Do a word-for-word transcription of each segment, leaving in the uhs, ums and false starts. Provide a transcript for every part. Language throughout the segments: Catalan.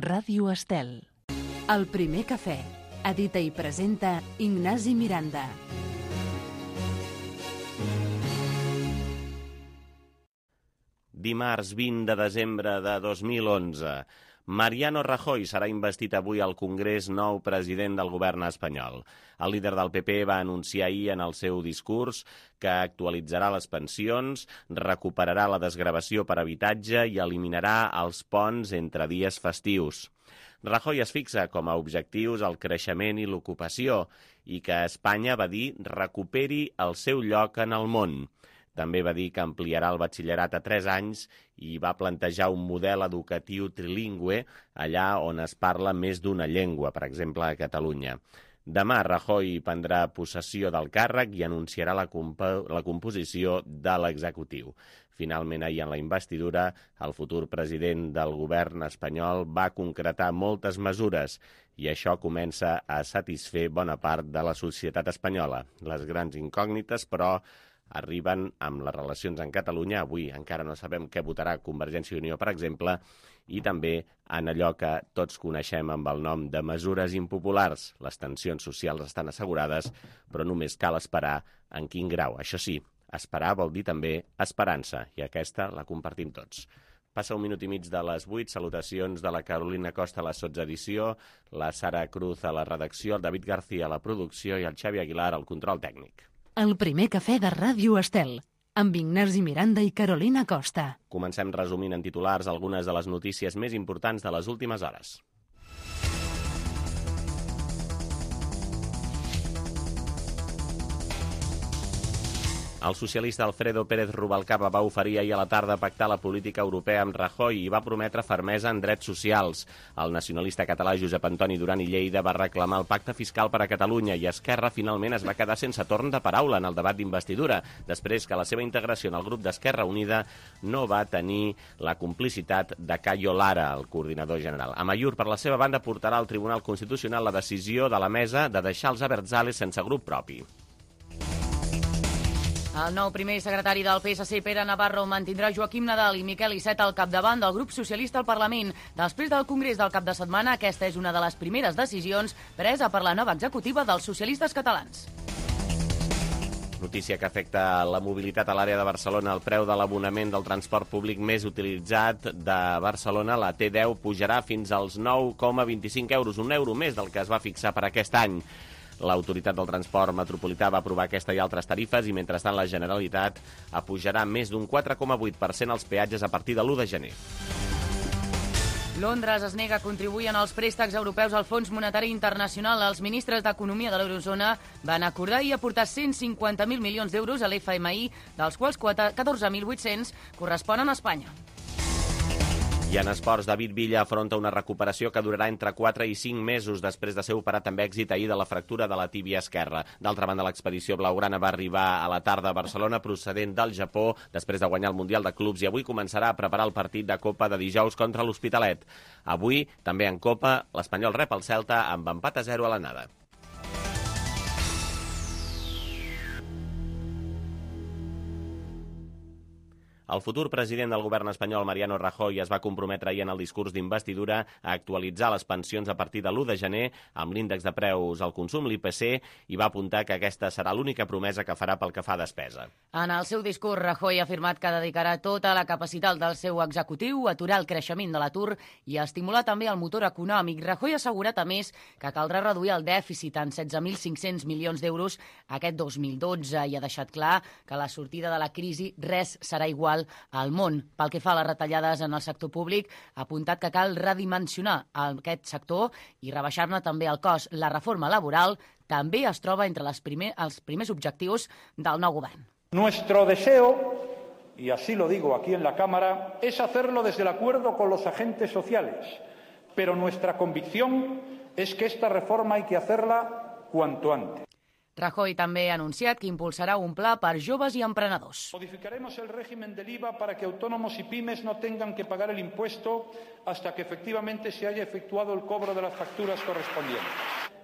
Ràdio Estel. El primer cafè. Edita i presenta Ignasi Miranda. Dimarts vint de desembre de dos mil onze. Mariano Rajoy serà investit avui al Congrés nou president del govern espanyol. El líder del P P va anunciar ahir en el seu discurs que actualitzarà les pensions, recuperarà la desgravació per habitatge i eliminarà els ponts entre dies festius. Rajoy es fixa com a objectius el creixement i l'ocupació i que Espanya, va dir, recuperi el seu lloc en el món. També va dir que ampliarà el batxillerat a tres anys i va plantejar un model educatiu trilingüe allà on es parla més d'una llengua, per exemple a Catalunya. Demà Rajoy prendrà possessió del càrrec i anunciarà la, comp- la composició de l'executiu. Finalment, ahir en la investidura, el futur president del govern espanyol va concretar moltes mesures i això comença a satisfer bona part de la societat espanyola. Les grans incògnites, però, arriben amb les relacions en Catalunya. Avui encara no sabem què votarà Convergència i Unió, per exemple, i també en allò que tots coneixem amb el nom de mesures impopulars. Les tensions socials estan assegurades, però només cal esperar en quin grau. Això sí, esperar vol dir també esperança, i aquesta la compartim tots. Passa un minut i mig de les vuit. Salutacions de la Carolina Costa a la sotsedició, la Sara Cruz a la redacció, el David García a la producció i el Xavi Aguilar al control tècnic. El primer cafè de Ràdio Estel, amb Ignasi Miranda i Carolina Costa. Comencem resumint en titulars algunes de les notícies més importants de les últimes hores. El socialista Alfredo Pérez Rubalcaba va oferir ahir a la tarda pactar la política europea amb Rajoy i va prometre fermesa en drets socials. El nacionalista català Josep Antoni Duran i Lleida va reclamar el pacte fiscal per a Catalunya i Esquerra finalment es va quedar sense torn de paraula en el debat d'investidura, després que la seva integració en el grup d'Esquerra Unida no va tenir la complicitat de Cayo Lara, el coordinador general. Amaiur, per la seva banda, portarà al Tribunal Constitucional la decisió de la mesa de deixar els Abertzales sense grup propi. El nou primer secretari del P S C, Pere Navarro, mantindrà Joaquim Nadal i Miquel Iceta al capdavant del grup socialista al Parlament. Després del Congrés del cap de setmana, aquesta és una de les primeres decisions presa per la nova executiva dels socialistes catalans. Notícia que afecta la mobilitat a l'àrea de Barcelona. El preu de l'abonament del transport públic més utilitzat de Barcelona, la T deu, pujarà fins als nou coma vint-i-cinc euros, un euro més del que es va fixar per aquest any. L'Autoritat del Transport Metropolità va aprovar aquesta i altres tarifes i, mentrestant, la Generalitat apujarà més d'un quatre coma vuit per cent als peatges a partir de l'u de gener. Londres es nega a contribuir en els préstecs europeus al Fons Monetari Internacional. Els ministres d'Economia de l'Eurozona van acordar i aportar cent cinquanta mil milions d'euros a l'F M I, dels quals catorze mil vuit-cents corresponen a Espanya. I en esports, David Villa afronta una recuperació que durarà entre quatre i cinc mesos després de ser operat amb èxit ahir de la fractura de la tíbia esquerra. D'altra banda, l'expedició blaugrana va arribar a la tarda a Barcelona procedent del Japó després de guanyar el Mundial de Clubs i avui començarà a preparar el partit de Copa de dijous contra l'Hospitalet. Avui, també en Copa, l'Espanyol rep el Celta amb empat a zero a l'anada. El futur president del govern espanyol, Mariano Rajoy, es va comprometre ahir en el discurs d'investidura a actualitzar les pensions a partir de l'u de gener amb l'índex de preus al consum, l'I P C, i va apuntar que aquesta serà l'única promesa que farà pel que fa a despesa. En el seu discurs, Rajoy ha afirmat que dedicarà tota la capacitat del seu executiu a aturar el creixement de l'atur i a estimular també el motor econòmic. Rajoy ha assegurat, a més, que caldrà reduir el dèficit en setze mil cinc-cents milions d'euros aquest dos mil dotze i ha deixat clar que a la sortida de la crisi res serà igual al món. Pel que fa a les retallades en el sector públic, ha apuntat que cal redimensionar aquest sector i rebaixar-ne també el cost. La reforma laboral també es troba entre les primer, els primers objectius del nou govern. Nuestro deseo, y así lo digo aquí en la Cámara, es hacerlo desde el acuerdo con los agentes sociales, pero nuestra convicción es que esta reforma hay que hacerla cuanto antes. Rajoy també ha anunciat que impulsarà un pla per joves i emprenedors. Modificaremos el régimen del I V A para que autónomos y pymes no tengan que pagar el impuesto hasta que efectivamente se haya efectuado el cobro de las facturas correspondientes.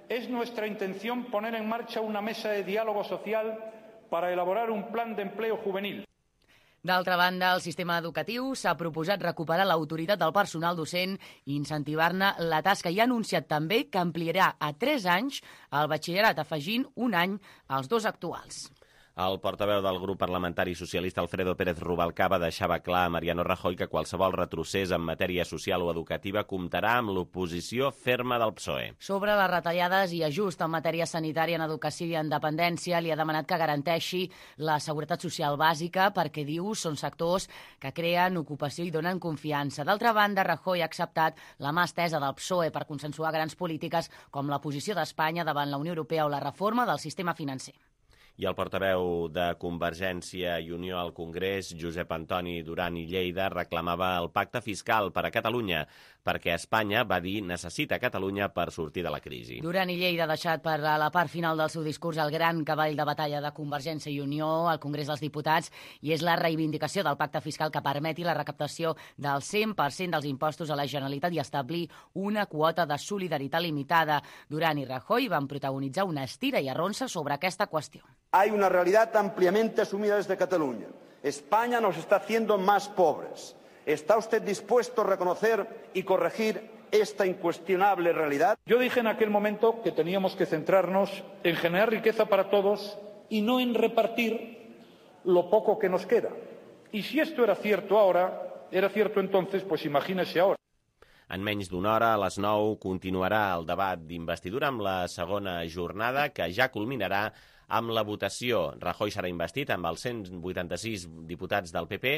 Es nuestra intención poner en marcha una mesa de diálogo social para elaborar un plan de empleo juvenil. D'altra banda, el sistema educatiu s'ha proposat recuperar l'autoritat del personal docent i incentivar-ne la tasca i ha anunciat també que ampliarà a tres anys el batxillerat, afegint un any als dos actuals. El portaveu del grup parlamentari socialista Alfredo Pérez Rubalcaba deixava clar a Mariano Rajoy que qualsevol retrocés en matèria social o educativa comptarà amb l'oposició ferma del P S O E. Sobre les retallades i ajust en matèria sanitària, en educació i en dependència, li ha demanat que garanteixi la seguretat social bàsica perquè, diu, són sectors que creen ocupació i donen confiança. D'altra banda, Rajoy ha acceptat la mà estesa del P S O E per consensuar grans polítiques com la posició d'Espanya davant la Unió Europea o la reforma del sistema financer. I el portaveu de Convergència i Unió al Congrés, Josep Antoni Duran i Lleida, reclamava el pacte fiscal per a Catalunya, perquè Espanya, va dir, necessita Catalunya per sortir de la crisi. Duran i Lleida ha deixat per a la part final del seu discurs el gran cavall de batalla de Convergència i Unió al Congrés dels Diputats i és la reivindicació del pacte fiscal que permeti la recaptació del cent per cent dels impostos a la Generalitat i establir una quota de solidaritat limitada. Duran i Rajoy van protagonitzar una estira i arronsa sobre aquesta qüestió. Hay una realidad ampliamente asumida desde Cataluña. España nos está haciendo más pobres. ¿Está usted dispuesto a reconocer y corregir esta incuestionable realidad? Yo dije en aquel momento que teníamos que centrarnos en generar riqueza para todos y no en repartir lo poco que nos queda. Y si esto era cierto ahora, era cierto entonces, pues imagínese ahora. En menys d'una hora, a les nou, continuarà el debat d'investidura amb la segona jornada, que ja culminarà amb la votació. Rajoy serà investit amb els cent vuitanta-sis diputats del P P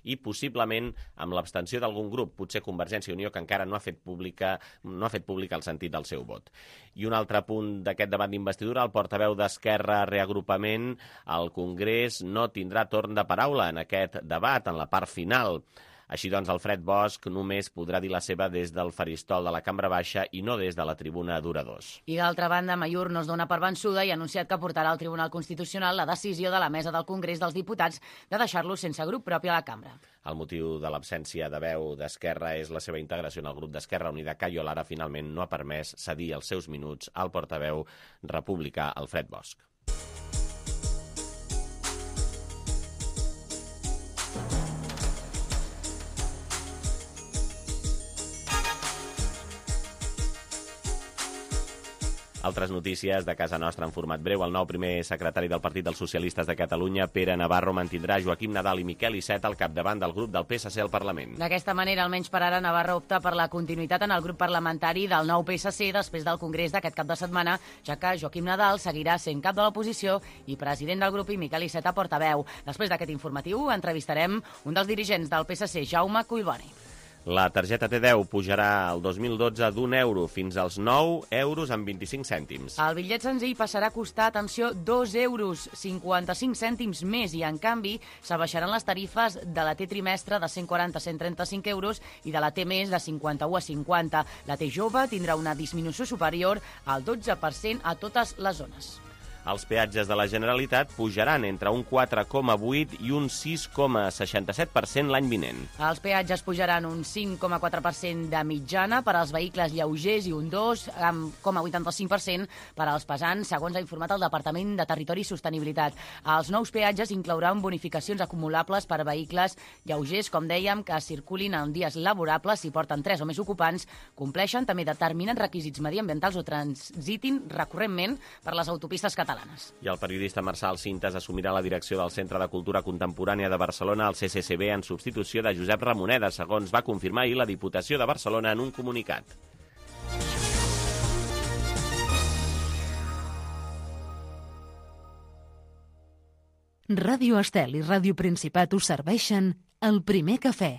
i possiblement amb l'abstenció d'algun grup, potser Convergència i Unió, que encara no ha fet pública, no ha fet públic el sentit del seu vot. I un altre punt d'aquest debat d'investidura, el portaveu d'Esquerra Reagrupament al Congrés no tindrà torn de paraula en aquest debat, en la part final. Així doncs, Alfred Bosch només podrà dir la seva des del faristol de la Cambra Baixa i no des de la tribuna d'oradors. I d'altra banda, Mayur no es dona per vençuda i ha anunciat que portarà al Tribunal Constitucional la decisió de la mesa del Congrés dels Diputats de deixar-lo sense grup propi a la cambra. El motiu de l'absència de veu d'Esquerra és la seva integració en el grup d'Esquerra Unida. Cayo Lara finalment no ha permès cedir els seus minuts al portaveu republicà Alfred Bosch. Altres notícies de casa nostra en format breu. El nou primer secretari del Partit dels Socialistes de Catalunya, Pere Navarro, mantindrà Joaquim Nadal i Miquel Iceta al capdavant del grup del P S C al Parlament. D'aquesta manera, almenys per ara, Navarro opta per la continuïtat en el grup parlamentari del nou P S C després del congrés d'aquest cap de setmana, ja que Joaquim Nadal seguirà sent cap de l'oposició i president del grup i Miquel Iceta portaveu. Després d'aquest informatiu, entrevistarem un dels dirigents del P S C, Jaume Collboni. La targeta T deu pujarà el dos mil dotze d'un euro fins als nou euros amb vint-i-cinc cèntims. El bitllet senzill passarà a costar, atenció, dos euros cinquanta-cinc cèntims més i, en canvi, s'abaixaran les tarifes de la T trimestre de cent quaranta a cent trenta-cinc euros i de la T més de cinquanta-u a cinquanta. La T jove tindrà una disminució superior al dotze per cent a totes les zones. Els peatges de la Generalitat pujaran entre un quatre coma vuit i un sis coma seixanta-set per cent l'any vinent. Els peatges pujaran un cinc coma quatre per cent de mitjana per als vehicles lleugers i un dos coma vuitanta-cinc per cent per als pesants, segons ha informat el Departament de Territori i Sostenibilitat. Els nous peatges inclouran bonificacions acumulables per a vehicles lleugers, com dèiem, que circulin en dies laborables si porten tres o més ocupants, compleixen també determinats requisits mediambientals o transitin recurrentment per les autopistes catalanes. I el periodista Marçal Cintas assumirà la direcció del Centre de Cultura Contemporània de Barcelona, el C C C B, en substitució de Josep Ramoneda, segons va confirmar ahir la Diputació de Barcelona en un comunicat. Ràdio Estel i Ràdio Principat us serveixen el primer cafè.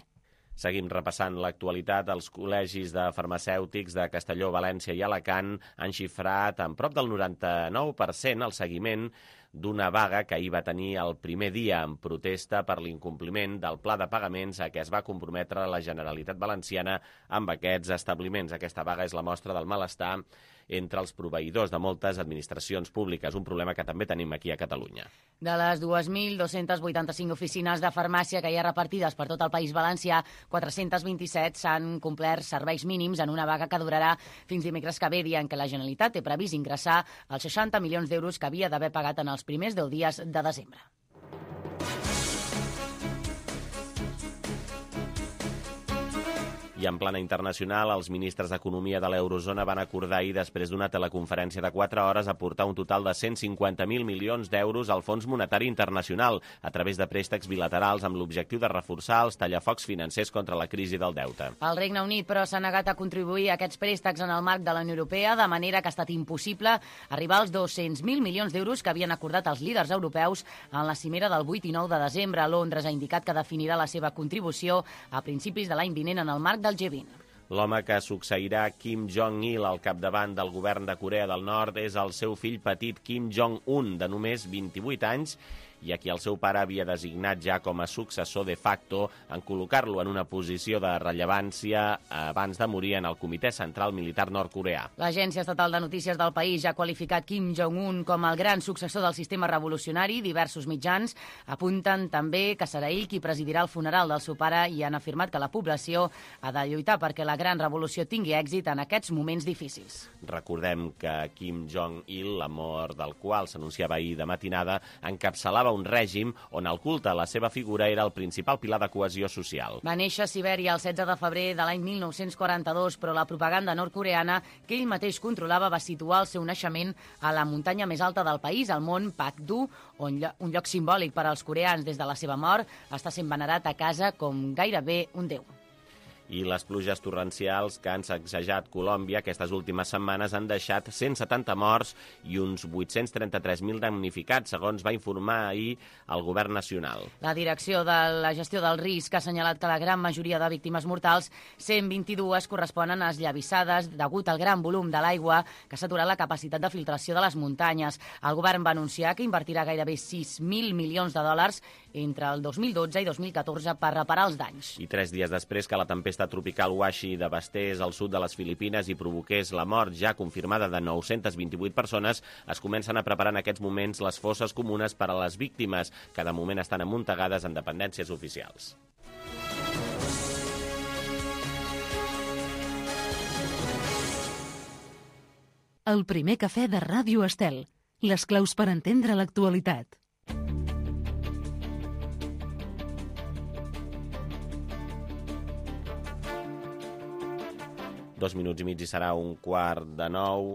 Seguim repassant l'actualitat. Els col·legis de farmacèutics de Castelló, València i Alacant han xifrat en prop del noranta-nou per cent el seguiment d'una vaga que ahir va tenir el primer dia en protesta per l'incompliment del pla de pagaments a què es va comprometre la Generalitat Valenciana amb aquests establiments. Aquesta vaga és la mostra del malestar entre els proveïdors de moltes administracions públiques, un problema que també tenim aquí a Catalunya. De les dos mil dos-cents vuitanta-cinc oficines de farmàcia que hi ha repartides per tot el País Valencià, quatre-cents vint-i-set s'han complert serveis mínims en una vaga que durarà fins dimecres que ve, dia en què la Generalitat té previst ingressar els seixanta milions d'euros que havia d'haver pagat en els primers deu dies de desembre. I en plana internacional, els ministres d'Economia de l'Eurozona van acordar ahir, després d'una teleconferència de quatre hores, aportar un total de cent cinquanta mil milions d'euros al Fons Monetari Internacional a través de préstecs bilaterals amb l'objectiu de reforçar els tallafocs financers contra la crisi del deute. El Regne Unit, però, s'ha negat a contribuir a aquests préstecs en el marc de la Unió Europea, de manera que ha estat impossible arribar als dos-cents mil milions d'euros que havien acordat els líders europeus en la cimera del vuit i nou de desembre. Londres ha indicat que definirà la seva contribució a principis de l'any vinent en el marc del G vint. L'home que succeirà Kim Jong-il al capdavant del govern de Corea del Nord és el seu fill petit Kim Jong-un, de només vint-i-vuit anys, i a qui el seu pare havia designat ja com a successor de facto en col·locar-lo en una posició de rellevància abans de morir en el Comitè Central Militar Nord-coreà. L'Agència Estatal de Notícies del país ja ha qualificat Kim Jong-un com el gran successor del sistema revolucionari. Diversos mitjans apunten també que serà ell qui presidirà el funeral del seu pare i han afirmat que la població ha de lluitar perquè la gran revolució tingui èxit en aquests moments difícils. Recordem que Kim Jong-il, la mort del qual s'anunciava ahir de matinada, encapçalava un règim on el culte a la seva figura era el principal pilar de cohesió social. Va néixer a Sibèria el setze de febrer de l'any mil nou-cents quaranta-dos, però la propaganda nord-coreana que ell mateix controlava va situar el seu naixement a la muntanya més alta del país, al mont Pakdu, on un lloc simbòlic per als coreans des de la seva mort, està sent venerat a casa com gairebé un déu. I les pluges torrencials que han sacsejat Colòmbia aquestes últimes setmanes han deixat cent setanta morts i uns vuit-cents trenta-tres mil damnificats, segons va informar ahir el govern nacional. La Direcció de la Gestió del Risc ha assenyalat que la gran majoria de víctimes mortals, cent vint-i-dues, corresponen a esllavissades degut al gran volum de l'aigua que s'ha aturat la capacitat de filtració de les muntanyes. El govern va anunciar que invertirà gairebé sis mil milions de dòlars entre el dos mil dotze i dos mil catorze per reparar els danys. I tres dies després que la tempesta tropical Washi devastés al sud de les Filipines i provoqués la mort ja confirmada de nou-cents vint-i-vuit persones, es comencen a preparar en aquests moments les fosses comunes per a les víctimes, que de moment estan amuntegades en dependències oficials. El primer cafè de Ràdio Estel. Les claus per entendre l'actualitat. Dos minuts i mig i serà un quart de nou.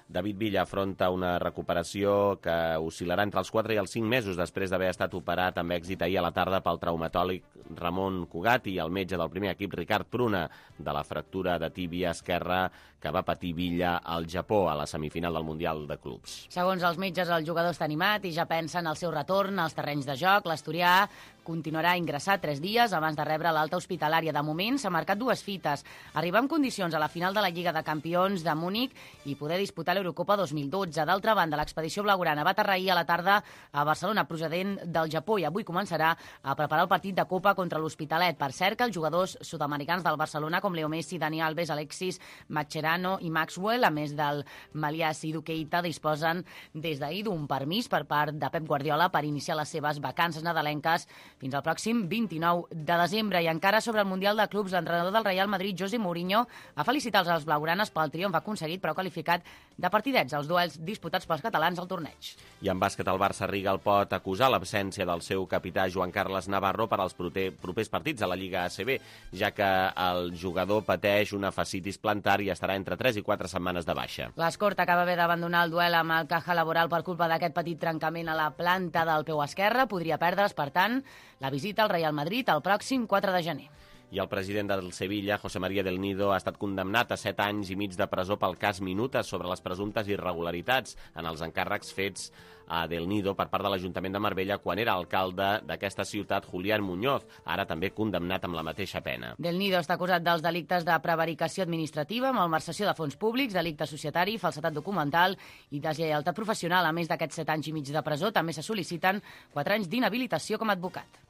David Villa afronta una recuperació que oscil·larà entre els quatre i els cinc mesos després d'haver estat operat amb èxit ahir a la tarda pel traumatòleg Ramon Cugat i el metge del primer equip Ricard Pruna de la fractura de tíbia esquerra que va patir Villa al Japó a la semifinal del Mundial de Clubs. Segons els metges, el jugador està animat i ja pensa en el seu retorn als terrenys de joc. L'asturià continuarà ingressat tres dies abans de rebre l'alta hospitalària. De moment s'ha marcat dues fites. Arribar en condicions a la final de la Lliga de Campions de Múnich i poder disputar l'Eurocopa dos mil dotze. D'altra banda, l'expedició blaugrana va aterrar ahir a la tarda a Barcelona procedent del Japó i avui començarà a preparar el partit de Copa contra l'Hospitalet. Per cert, que els jugadors sud-americans del Barcelona, com Leo Messi, Dani Alves, Alexis, Mascherano i Maxwell, a més del Malias i Duqueita, disposen des d'ahir d'un permís per part de Pep Guardiola per iniciar les seves vacances nadalenques fins al pròxim vint-i-nou de desembre. I encara sobre el Mundial de Clubs, l'entrenador del Real Madrid, José Mourinho, ha felicitat els blaugranes pel triomf aconseguit, però ha qualificat de partidets els duels disputats pels catalans al torneig. I en bàsquet, el Barça Rigal pot acusar l'absència del seu capità Joan Carles Navarro per als propers partits a la Lliga A C B, ja que el jugador pateix una fascitis plantar i estarà entre tres i quatre setmanes de baixa. L'Escort acaba haver d'abandonar el duel amb el Caja Laboral per culpa d'aquest petit trencament a la planta del peu esquerre. Podria perdre's, per tant, la visita al Real Madrid el pròxim quatre de gener. I el president del Sevilla, José María del Nido, ha estat condemnat a set anys i mig de presó pel cas Minuta sobre les presumptes irregularitats en els encàrrecs fets a Del Nido per part de l'Ajuntament de Marbella quan era alcalde d'aquesta ciutat, Julián Muñoz, ara també condemnat amb la mateixa pena. Del Nido està acusat dels delictes de prevaricació administrativa, malversació de fons públics, delicte societari, falsedat documental i deslleialtat professional. A més d'aquests set anys i mig de presó, també se sol·liciten quatre anys d'inhabilitació com a advocat.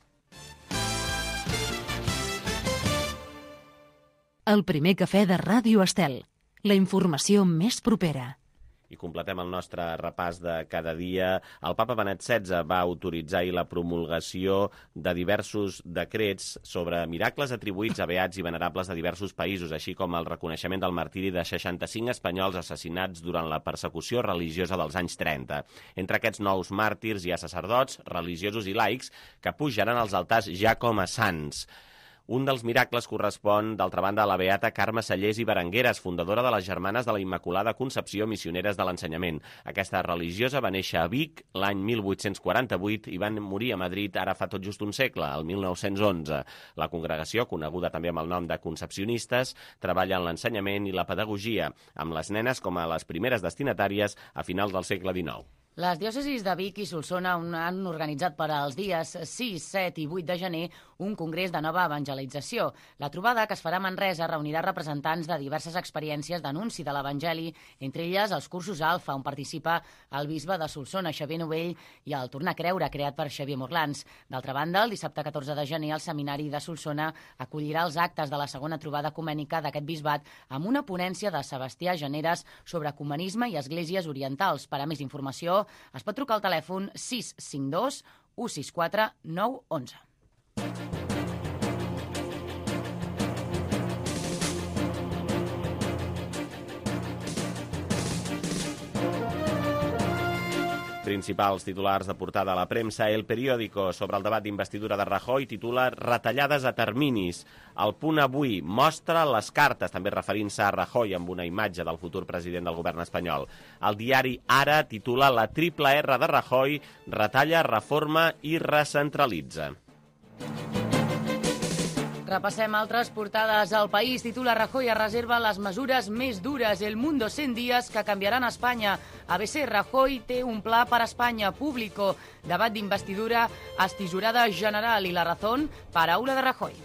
El primer cafè de Ràdio Estel. La informació més propera. I completem el nostre repàs de cada dia. El papa Benet setze va autoritzar ahir la promulgació de diversos decrets sobre miracles atribuïts a beats i venerables de diversos països, així com el reconeixement del martiri de seixanta-cinc espanyols assassinats durant la persecució religiosa dels anys trenta. Entre aquests nous màrtirs hi ha sacerdots, religiosos i laics que pujaran als altars ja com a sants. Un dels miracles correspon, d'altra banda, a la beata Carme Sallés i Berengueres, fundadora de les Germanes de la Immaculada Concepció Missioneres de l'Ensenyament. Aquesta religiosa va néixer a Vic l'any mil vuit-cents quaranta-vuit i van morir a Madrid ara fa tot just un segle, el mil nou-cents onze. La congregació, coneguda també amb el nom de Concepcionistes, treballa en l'ensenyament i la pedagogia, amb les nenes com a les primeres destinatàries a finals del segle dinou. Les diòcesis de Vic i Solsona han organitzat per als dies sis, set i vuit de gener un congrés de nova evangelització. La trobada, que es farà a Manresa, reunirà representants de diverses experiències d'anunci de l'Evangeli, entre elles els cursos Alfa, on participa el bisbe de Solsona, Xavier Novell, i el Tornar a Creure, creat per Xavier Morlans. D'altra banda, el dissabte catorze de gener, el Seminari de Solsona acollirà els actes de la segona trobada ecumènica d'aquest bisbat amb una ponència de Sebastià Generes sobre ecumenisme i esglésies orientals. Per a més informació, es pot trucar al telèfon sis cinc dos u sis quatre nou onze. Principals titulars de portada a la premsa. El Periódico, sobre el debat d'investidura de Rajoy, titula Retallades a terminis. El Punt avui mostra les cartes, també referint-se a Rajoy amb una imatge del futur president del govern espanyol. El diari Ara titula La triple R de Rajoy, retalla, reforma i recentralitza. Repassem altres portades. El País titula Rajoy es reserva les mesures més dures, el mundo cent dies que canviaran Espanya. A B C, Rajoy té un pla per Espanya. Público, debat d'investidura, estisorada general i La Razón, paraula de Rajoy.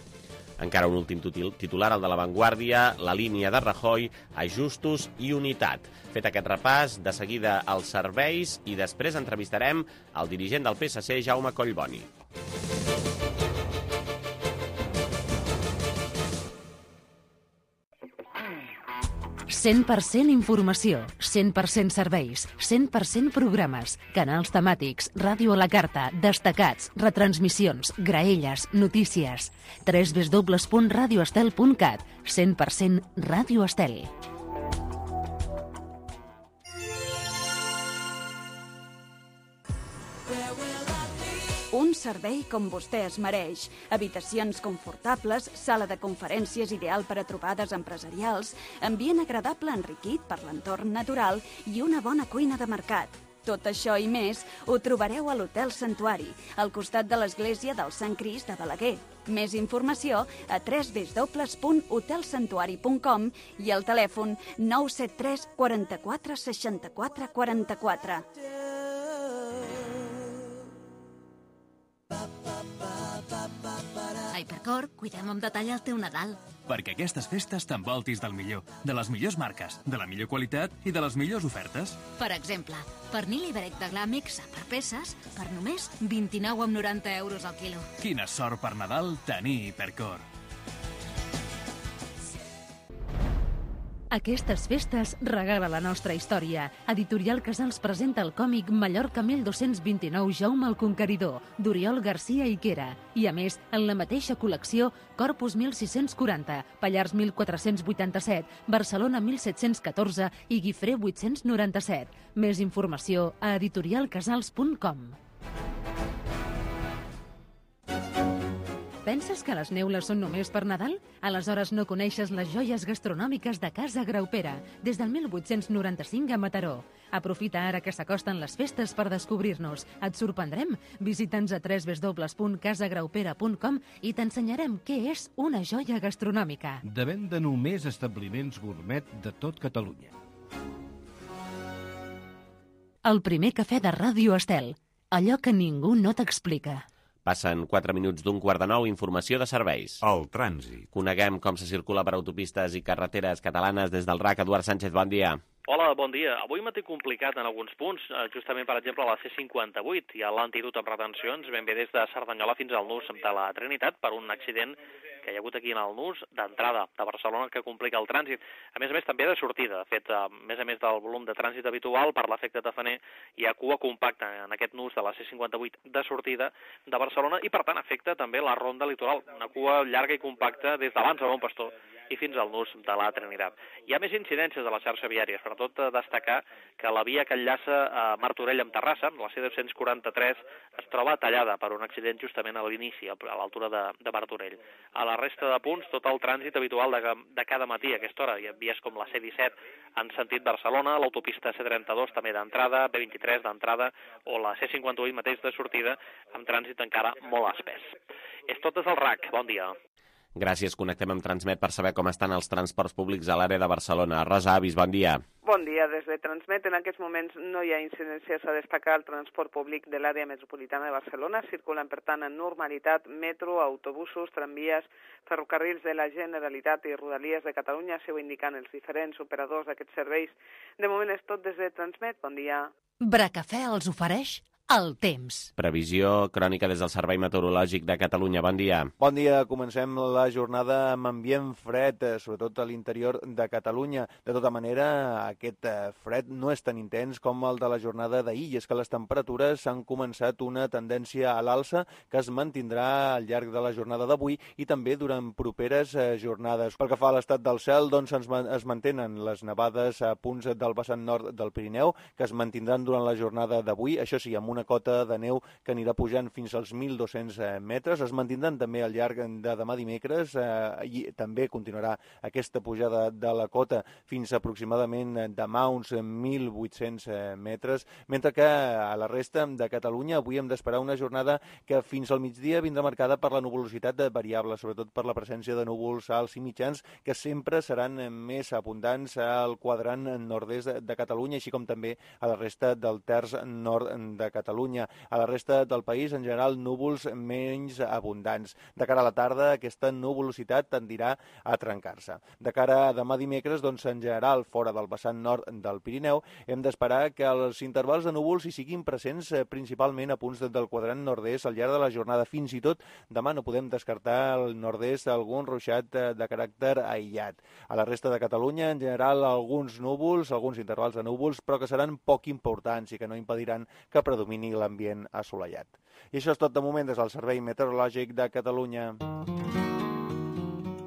Encara un últim titular, el de La Vanguardia, la línia de Rajoy, ajustos i unitat. Fet aquest repàs, de seguida els serveis i després entrevistarem el dirigent del P S C, Jaume Collboni. cent per cent informació, cent per cent serveis, cent per cent programes, canals temàtics, ràdio a la carta, destacats, retransmissions, graelles, notícies. w w w punt radio estel punt cat. cent per cent Ràdio Estel. Un servei com vostè es mereix. Habitacions confortables, sala de conferències ideal per a trobades empresarials, ambient agradable enriquit per l'entorn natural i una bona cuina de mercat. Tot això i més ho trobareu a l'Hotel Santuari, al costat de l'església del Sant Crist de Balaguer. Més informació a w w w punt hotel santuari punt com i al telèfon nou set tres quaranta-quatre seixanta-quatre quaranta-quatre. A Hipercor cuidem amb detall el teu Nadal. Perquè aquestes festes t'envoltis del millor, de les millors marques, de la millor qualitat i de les millors ofertes. Per exemple, pernil ibèric de gla mixa per peces per només vint-i-nou coma noranta euros al quilo. Quina sort per Nadal tenir Hipercor. Aquestes festes regala la nostra història. Editorial Casals presenta el còmic Mallorca mil dos-cents vint-i-nou, Jaume el Conqueridor, d'Oriol Garcia Higuera. I a més, en la mateixa col·lecció, Corpus mil sis-cents quaranta, Pallars mil quatre-cents vuitanta-set, Barcelona mil set-cents catorze i Guifré vuit-cents noranta-set. Més informació a editorial casals punt com. Penses que les neules són només per Nadal? Aleshores no coneixes les joies gastronòmiques de Casa Graupera, des del mil vuit-cents noranta-cinc a Mataró. Aprofita ara que s'acosten les festes per descobrir-nos. Et sorprendrem? Visita'ns a w w w punt casa graupera punt com i t'ensenyarem què és una joia gastronòmica. De venda només establiments gourmet de tot Catalunya. El primer cafè de Ràdio Estel. Allò que ningú no t'explica. Passen quatre minuts d'un quart de nou, informació de serveis. El trànsit. Coneguem com se circula per autopistes i carreteres catalanes des del R A C. Eduard Sánchez, bon dia. Hola, bon dia. Avui m'ha tingut complicat en alguns punts, justament, per exemple, a la C cinquanta-vuit. Hi ha l'antidote amb retencions ben bé des de Cerdanyola fins al nus de la Trinitat per un accident que hi ha hagut aquí en el nus d'entrada de Barcelona que complica el trànsit. A més a més, també de sortida. De fet, a més a més del volum de trànsit habitual, per l'efecte tafaner, hi ha cua compacta en aquest nus de la C cinquanta-vuit de sortida de Barcelona i, per tant, afecta també la ronda litoral. Una cua llarga i compacta des d'abans a Bon Pastor i fins al nus de la Trinitat. Hi ha més incidències de la xarxa viària, sobretot destacar que la via que enllaça a Martorell amb Terrassa, la C dos-cents quaranta-tres, es troba tallada per un accident justament a l'inici, a l'altura de, de Martorell. A la resta de punts, tot el trànsit habitual de, de cada matí a aquesta hora. Hi ha vies com la C disset en sentit Barcelona, l'autopista C trenta-dos també d'entrada, B vint-i-tres d'entrada, o la C cinquanta-vuit mateix de sortida, amb trànsit encara molt espès. És tot des del R A C. Bon dia. Gràcies. Connectem amb Transmet per saber com estan els transports públics a l'àrea de Barcelona. Rosa Avis, bon dia. Bon dia. Des de Transmet, en aquests moments no hi ha incidències a destacar al transport públic de l'àrea metropolitana de Barcelona. Circulen, per tant, en normalitat metro, autobusos, tramvies, ferrocarrils de la Generalitat i Rodalies de Catalunya, s'ho indicant els diferents operadors d'aquests serveis. De moment és tot des de Transmet. Bon dia. Bracafè els ofereix el temps. Previsió crònica des del Servei Meteorològic de Catalunya. Bon dia. Bon dia. Comencem la jornada amb ambient fred, sobretot a l'interior de Catalunya. De tota manera, aquest fred no és tan intens com el de la jornada d'ahir, i és que les temperatures han començat una tendència a l'alça que es mantindrà al llarg de la jornada d'avui i també durant properes jornades. Pel que fa a l'estat del cel, doncs es mantenen les nevades a punts del vessant nord del Pirineu, que es mantindran durant la jornada d'avui, això sí, amb una cota de neu que anirà pujant fins als mil dos-cents metres. Es mantindran també al llarg de demà dimecres eh, i també continuarà aquesta pujada de la cota fins aproximadament demà uns mil vuit-cents metres, mentre que a la resta de Catalunya avui hem d'esperar una jornada que fins al migdia vindrà marcada per la nuvolositat variable, sobretot per la presència de núvols alts i mitjans que sempre seran més abundants al quadrant nord-est de Catalunya, així com també a la resta del terç nord de Catalunya. Catalunya. A la resta del país, en general, núvols menys abundants. De cara a la tarda, aquesta nuvolositat tendirà a trencar-se. De cara a demà dimecres, doncs, en general, fora del vessant nord del Pirineu, hem d'esperar que els intervals de núvols hi siguin presents eh, principalment a punts del quadrant nord-est al llarg de la jornada. Fins i tot, demà no podem descartar al nord-est algun ruixat eh, de caràcter aïllat. A la resta de Catalunya, en general, alguns núvols, alguns intervals de núvols, però que seran poc importants i que no impediran que predomini l'ambient assolellat. I això és tot de moment des del Servei Meteorològic de Catalunya.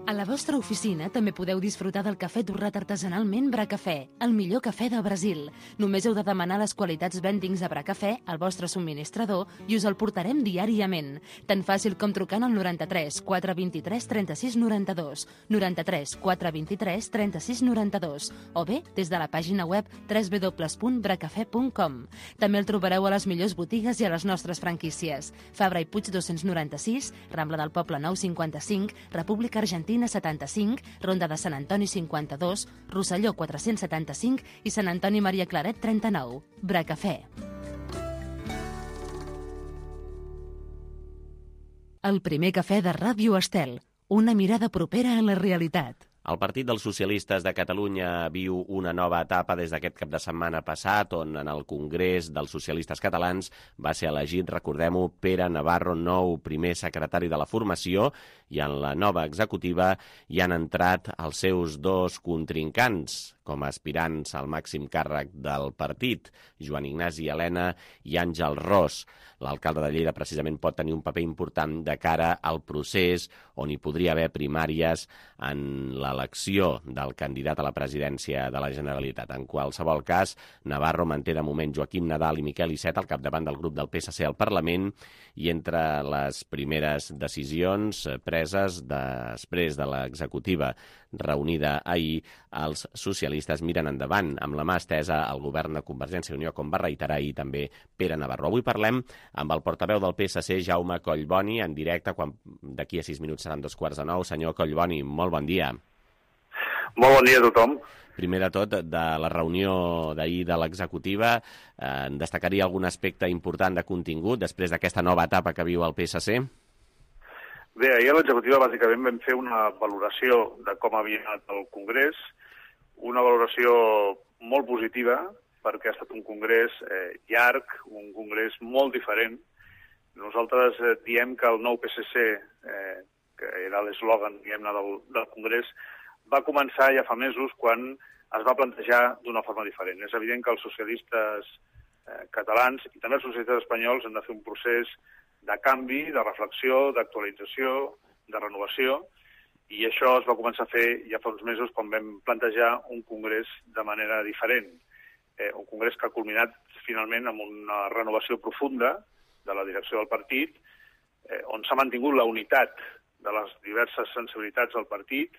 A la vostra oficina també podeu disfrutar del cafè torrat artesanalment Bracafè, el millor cafè del Brasil. Només heu de demanar les qualitats vendings de Bracafè al vostre subministrador i us el portarem diàriament. Tan fàcil com trucant al noranta-tres quatre vint-i-tres trenta-sis noranta-dos, noranta-tres quatre vint-i-tres trenta-sis noranta-dos, o bé des de la pàgina web w w w punt bracafè punt com. També el trobareu a les millors botigues i a les nostres franquícies. Fabra i Puig dos-cents noranta-sis, Rambla del Poble nou cinquanta-cinc, República Argentina setanta-cinc, Ronda de Sant Antoni cinquanta-dos, Rosselló quatre-cents setanta-cinc i Sant Antoni Maria Claret trenta-nou. Bracafè. El primer cafè de Ràdio Estel. Una mirada propera a la realitat. El Partit dels Socialistes de Catalunya viu una nova etapa des d'aquest cap de setmana passat, on en el Congrés dels Socialistes Catalans va ser elegit, recordem-ho, Pere Navarro, nou primer secretari de la formació, i en la nova executiva hi han entrat els seus dos contrincants com a aspirants al màxim càrrec del partit, Joan Ignasi Elena i Àngel Ros. L'alcalde de Lleida precisament pot tenir un paper important de cara al procés on hi podria haver primàries en l'elecció del candidat a la presidència de la Generalitat. En qualsevol cas, Navarro manté de moment Joaquim Nadal i Miquel Iceta al capdavant del grup del P S C al Parlament, i entre les primeres decisions preses després de l'executiva reunida ahir, els socialistes miren endavant amb la mà estesa al govern de Convergència i Unió, com va reiterar ahir també Pere Navarro. Avui parlem amb el portaveu del P S C, Jaume Collboni, en directe, quan d'aquí a sis minuts seran dos quarts de nou. Senyor Collboni, molt bon dia. Molt bon dia a tothom. Primer de tot, de la reunió d'ahir de l'executiva, eh, destacaria algun aspecte important de contingut després d'aquesta nova etapa que viu el P S C? Bé, ahir a l'executiva bàsicament vam fer una valoració de com havia anat el Congrés, una valoració molt positiva, perquè ha estat un congrés eh, llarg, un congrés molt diferent. Nosaltres eh, diem que el nou P S C, eh, que era l'eslògan diguem-ne del, del congrés, va començar ja fa mesos quan es va plantejar d'una forma diferent. És evident que els socialistes eh, catalans i també els socialistes espanyols han de fer un procés de canvi, de reflexió, d'actualització, de renovació, I això es va començar a fer ja fa uns mesos quan vam plantejar un congrés de manera diferent. Eh, un congrés que ha culminat finalment amb una renovació profunda de la direcció del partit, eh, on s'ha mantingut la unitat de les diverses sensibilitats del partit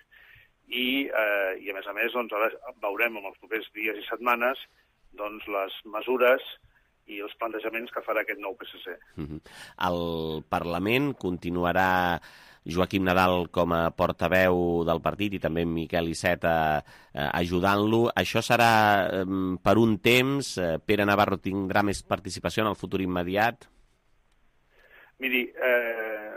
i, eh, i a més a més, doncs, ara veurem en els propers dies i setmanes doncs, les mesures i els plantejaments que farà aquest nou P S C. Uh-huh. El Parlament continuarà Joaquim Nadal com a portaveu del partit i també Miquel Iceta eh, ajudant-lo. Això serà eh, per un temps? Eh, Pere Navarro tindrà més participació en el futur immediat? Miri, eh,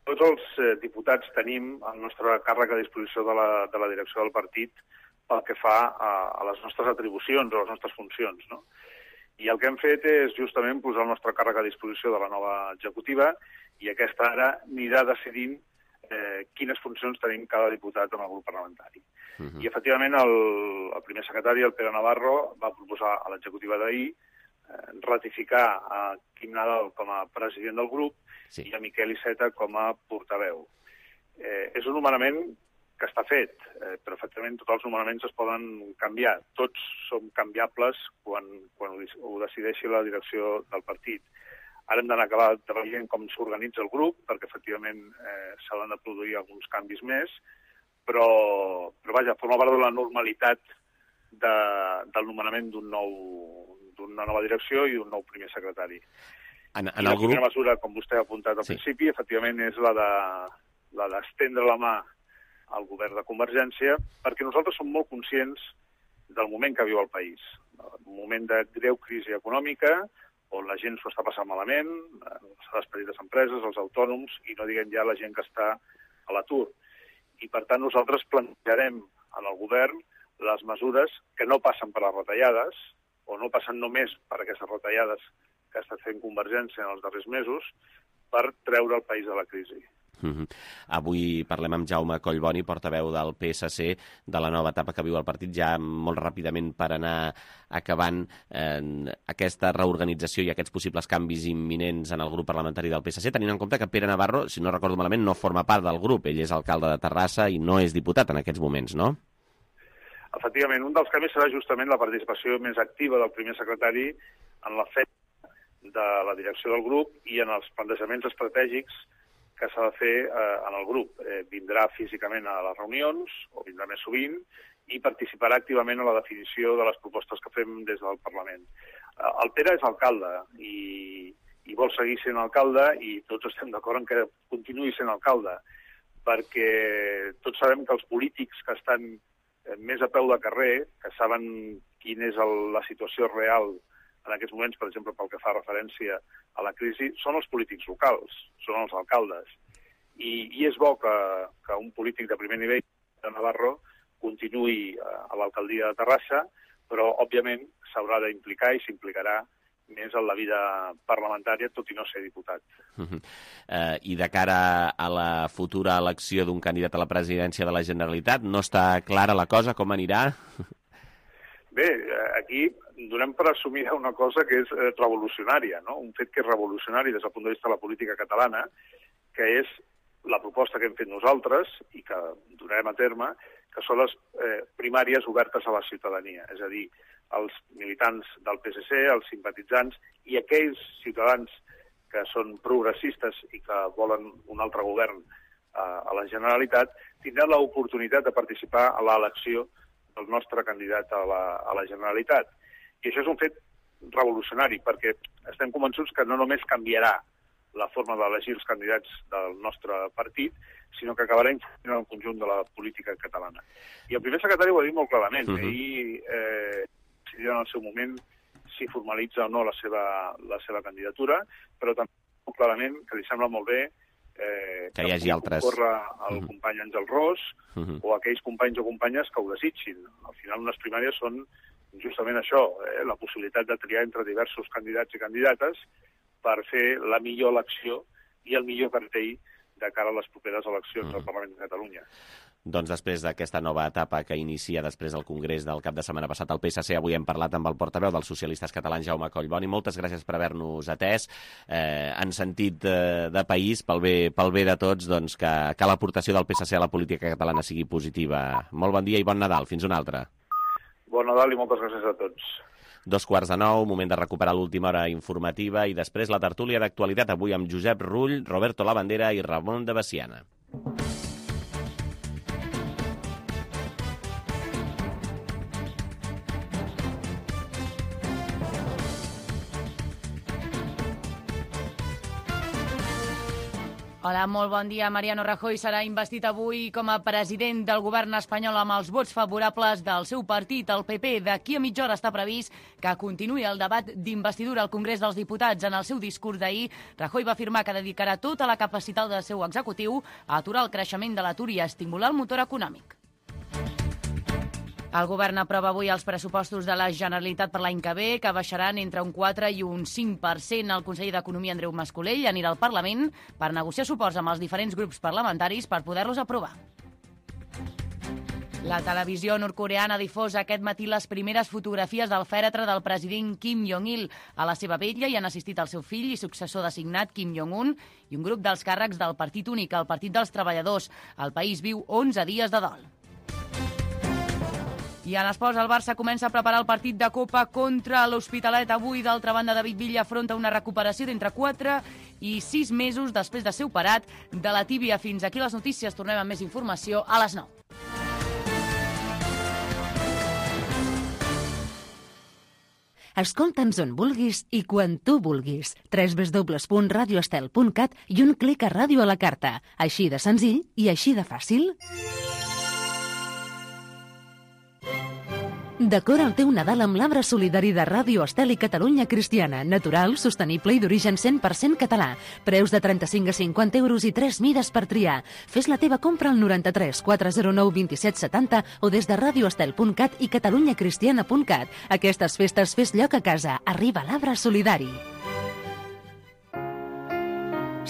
tots els eh, diputats tenim el nostre càrrec a disposició de la, de la direcció del partit pel que fa a, a les nostres atribucions o a les nostres funcions, no? I el que hem fet és justament posar el nostre càrrec a disposició de la nova executiva i aquesta ara anirà decidint eh, quines funcions tenim cada diputat en el grup parlamentari. Uh-huh. I, efectivament, el, el primer secretari, el Pere Navarro, va proposar a l'executiva d'ahir eh, ratificar a Quim Nadal com a president del grup sí. i a Miquel Iceta com a portaveu. Eh, és un nomenament que està fet, eh, però efectivament tots els nomenaments es poden canviar. Tots són canviables quan, quan ho decideixi la direcció del partit. Ara hem d'anar acabar treballant com s'organitza el grup, perquè efectivament eh, s'han de produir alguns canvis més, però, però vaja, forma part de la normalitat de, del nomenament d'un nou, d'una nova direcció i d'un nou primer secretari. En, en I la el primera grup... mesura, com vostè ha apuntat al sí. principi, efectivament és la de la d'estendre la mà al govern de Convergència, perquè nosaltres som molt conscients del moment que viu el país. Un moment de greu crisi econòmica, on la gent s'ho està passant malament, les petites empreses, els autònoms, i no diguem ja la gent que està a l'atur. I, per tant, nosaltres plantejarem en el govern les mesures que no passen per les retallades, o no passen només per aquestes retallades que ha estat fent Convergència en els darrers mesos, per treure el país de la crisi. Uh-huh. Avui parlem amb Jaume Collboni, portaveu del P S C, de la nova etapa que viu el partit, ja molt ràpidament per anar acabant eh, aquesta reorganització i aquests possibles canvis imminents en el grup parlamentari del P S C, tenint en compte que Pere Navarro, si no recordo malament, no forma part del grup. Ell és alcalde de Terrassa i no és diputat en aquests moments, no? Efectivament, un dels canvis serà justament la participació més activa del primer secretari en la feina de la direcció del grup i en els plantejaments estratègics que s'ha de fer eh, en el grup. Eh, vindrà físicament a les reunions, o vindrà més sovint, i participarà activament a la definició de les propostes que fem des del Parlament. Eh, el Pere és alcalde i, i vol seguir sent alcalde i tots estem d'acord en que continuï sent alcalde, perquè tots sabem que els polítics que estan eh, més a peu de carrer, que saben quina és el, la situació real en aquests moments, per exemple, pel que fa referència a la crisi, són els polítics locals, són els alcaldes. I, i és bo que, que un polític de primer nivell de Navarro continuï a l'alcaldia de Terrassa, però, òbviament, s'haurà d'implicar i s'implicarà més en la vida parlamentària, tot i no ser diputat. Uh-huh. Uh, I de cara a la futura elecció d'un candidat a la presidència de la Generalitat, no està clara la cosa, com anirà? Bé, aquí donem per assumir una cosa que és revolucionària, no? Un fet que és revolucionari des del punt de vista de la política catalana, que és la proposta que hem fet nosaltres i que durarem a terme, que són les eh, primàries obertes a la ciutadania, és a dir, els militants del P S C, els simpatitzants i aquells ciutadans que són progressistes i que volen un altre govern eh, a la Generalitat, tindran l'oportunitat de participar a l'elecció del nostre candidat a la, a la Generalitat. I això és un fet revolucionari, perquè estem convençuts que no només canviarà la forma d'elegir els candidats del nostre partit, sinó que acabarà influint en el conjunt de la política catalana. I el primer secretari ho ha dit molt clarament. Uh-huh. Ahir eh, decidirà en el seu moment si formalitza o no la seva, la seva candidatura, però també molt clarament que li sembla molt bé eh, que hi hagi altres... corre el uh-huh. company Àngel Ros uh-huh. o aquells companys o companyes que ho desitgin. Al final, unes primàries són justament això, eh, la possibilitat de triar entre diversos candidats i candidates per fer la millor elecció i el millor cartell de cara a les properes eleccions uh-huh. al Parlament de Catalunya. Doncs després d'aquesta nova etapa que inicia després del Congrés del cap de setmana passat al P S C, avui hem parlat amb el portaveu dels socialistes catalans, Jaume Collboni. Moltes gràcies per haver-nos atès. Eh, en sentit de, de país, pel bé, pel bé de tots, doncs, que, que l'aportació del P S C a la política catalana sigui positiva. Molt bon dia i bon Nadal. Fins una altra. Bon Nadal i moltes gràcies a tots. Dos quarts de nou, moment de recuperar l'última hora informativa i després la tertúlia d'actualitat, avui amb Josep Rull, Roberto Labandera i Ramon de Besiana. Hola, molt bon dia. Mariano Rajoy serà investit avui com a president del govern espanyol amb els vots favorables del seu partit, el P P. D'aquí a mitja hora està previst que continuï el debat d'investidura al Congrés dels Diputats. En el seu discurs d'ahir, Rajoy va afirmar que dedicarà tota la capacitat del seu executiu a aturar el creixement de l'atur i a estimular el motor econòmic. El govern aprova avui els pressupostos de la Generalitat per l'any que ve, que baixaran entre un quatre i un cinc per cent. El conseller d'Economia, Andreu Mas-Colell, anirà al Parlament per negociar suports amb els diferents grups parlamentaris per poder-los aprovar. La televisió nord-coreana ha difós aquest matí les primeres fotografies del fèretre del president Kim Jong-il. A la seva vetlla hi han assistit el seu fill i successor designat, Kim Jong-un, i un grup dels càrrecs del Partit Únic, el Partit dels Treballadors. El país viu onze dies de dol. I en esports, el Barça comença a preparar el partit de Copa contra l'Hospitalet. Avui, d'altra banda, David Villa afronta una recuperació d'entre quatre i sis mesos després de ser operat de la tíbia. Fins aquí les notícies. Tornem amb més informació a les nou. Escolta'ns on vulguis i quan tu vulguis. w w w punt radio estel punt cat i un clic a ràdio a la carta. Així de senzill i així de fàcil. Decora el teu Nadal amb l'arbre solidari de Ràdio Estel i Catalunya Cristiana. Natural, sostenible i d'origen cent per cent català. Preus de trenta-cinc a cinquanta euros i tres mides per triar. Fes la teva compra al noranta-tres quatre zero nou vint set setanta o des de radio estel punt cat i catalunya cristiana punt cat. Aquestes festes fes lloc a casa. Arriba l'arbre solidari.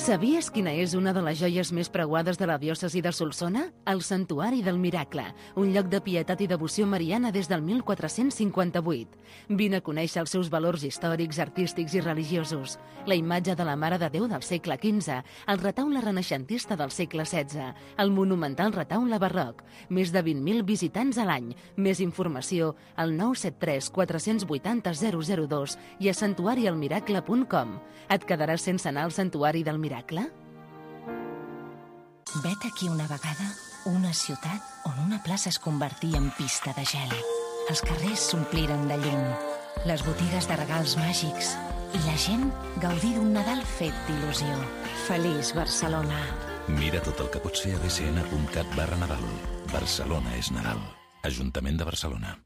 Sabies quina és una de les joies més preuades de la diòcesi de Solsona? El Santuari del Miracle, un lloc de pietat i devoció mariana des del mil quatre-cents cinquanta-vuit. Vine a conèixer els seus valors històrics, artístics i religiosos. La imatge de la Mare de Déu del segle quinze, el retaule renaixentista del segle setze, el monumental retaule barroc, més de vint mil visitants a l'any. Més informació al nou set tres quatre vuit zero zero zero dos i a santuari el miracle punt com. Et quedaràs sense anar al Santuari del Miracle? Vet aquí una vegada una ciutat on una plaça es convertia en pista de gel. Els carrers s'ompliren de llum, les botigues de regals màgics i la gent gaudir d'un Nadal fet d'il·lusió. Feliç Barcelona. Mira tot el que pots fer a b c n punt cat barra Nadal. Barcelona és Nadal. Ajuntament de Barcelona.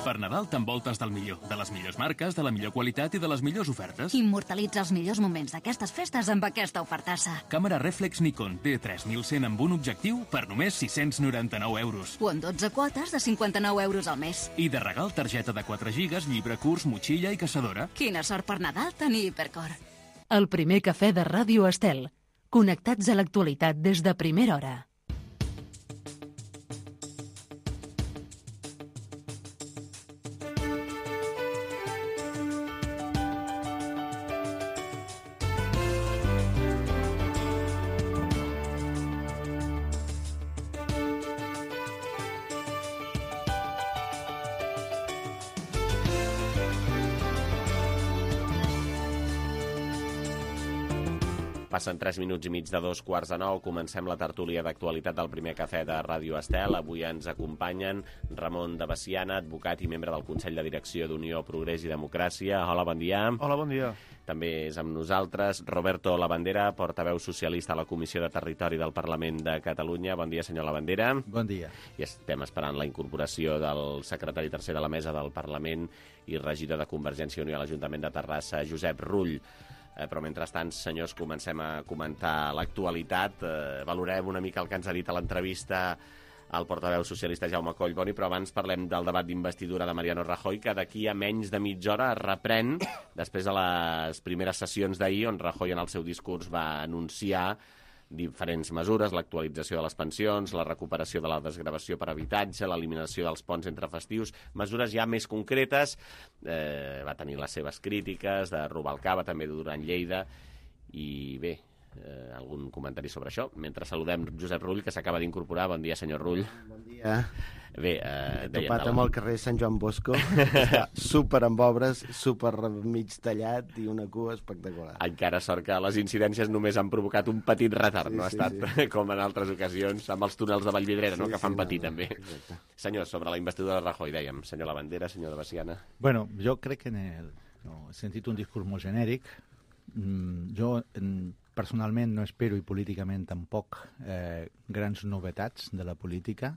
Per Nadal t'envoltes del millor, de les millors marques, de la millor qualitat i de les millors ofertes. Immortalitza els millors moments d'aquestes festes amb aquesta ofertassa. Càmera reflex Nikon D tres mil cent amb un objectiu per només sis-cents noranta-nou euros. O en dotze quotes de cinquanta-nou euros al mes. I de regal targeta de quatre gigas, llibre curs, motxilla i caçadora. Quina sort per Nadal tenir Hipercor. El primer cafè de Ràdio Estel. Connectats a l'actualitat des de primera hora. Passen tres minuts i mig de dos quarts de nou. Comencem la tertúlia d'actualitat del primer cafè de Ràdio Estel. Avui ens acompanyen Ramon de Besiana, advocat i membre del Consell de Direcció d'Unió, Progrés i Democràcia. Hola, bon dia. Hola, bon dia. També és amb nosaltres Roberto Labandera, portaveu socialista a la Comissió de Territori del Parlament de Catalunya. Bon dia, senyor Labandera. Bon dia. I estem esperant la incorporació del secretari tercer de la mesa del Parlament i regidor de Convergència i Unió a l'Ajuntament de Terrassa, Josep Rull. Eh, però mentrestant, senyors, comencem a comentar l'actualitat. Eh, valorem una mica el que ens ha dit a l'entrevista el portaveu socialista Jaume Collboni, però abans parlem del debat d'investidura de Mariano Rajoy, que d'aquí a menys de mitja hora es reprèn després de les primeres sessions d'ahir, on Rajoy en el seu discurs va anunciar diferents mesures, l'actualització de les pensions, la recuperació de la desgravació per habitatge, l'eliminació dels ponts entre festius, mesures ja més concretes. Eh, va tenir les seves crítiques de Rubalcaba, també de Duran Lleida, i bé, eh, algun comentari sobre això. Mentre saludem Josep Rull, que s'acaba d'incorporar. Bon dia, senyor Rull. Bon dia. Bé, eh, he topat amb el carrer Sant Joan Bosco, està super amb obres, super mig tallat i una cua espectacular. Encara sort que les incidències només han provocat un petit retard, sí, no ha estat sí, sí. com en altres ocasions amb els túnels de Vallvidrera, sí, no? que fan sí, patir no, també. Exacte. Senyor, sobre la investidura de Rajoy, dèiem, senyor Lavandera, senyor de Baciana. Bueno, jo crec que en el, no, he sentit un discurs molt genèric. Mm, jo en, personalment no espero, i políticament tampoc, eh, grans novetats de la política.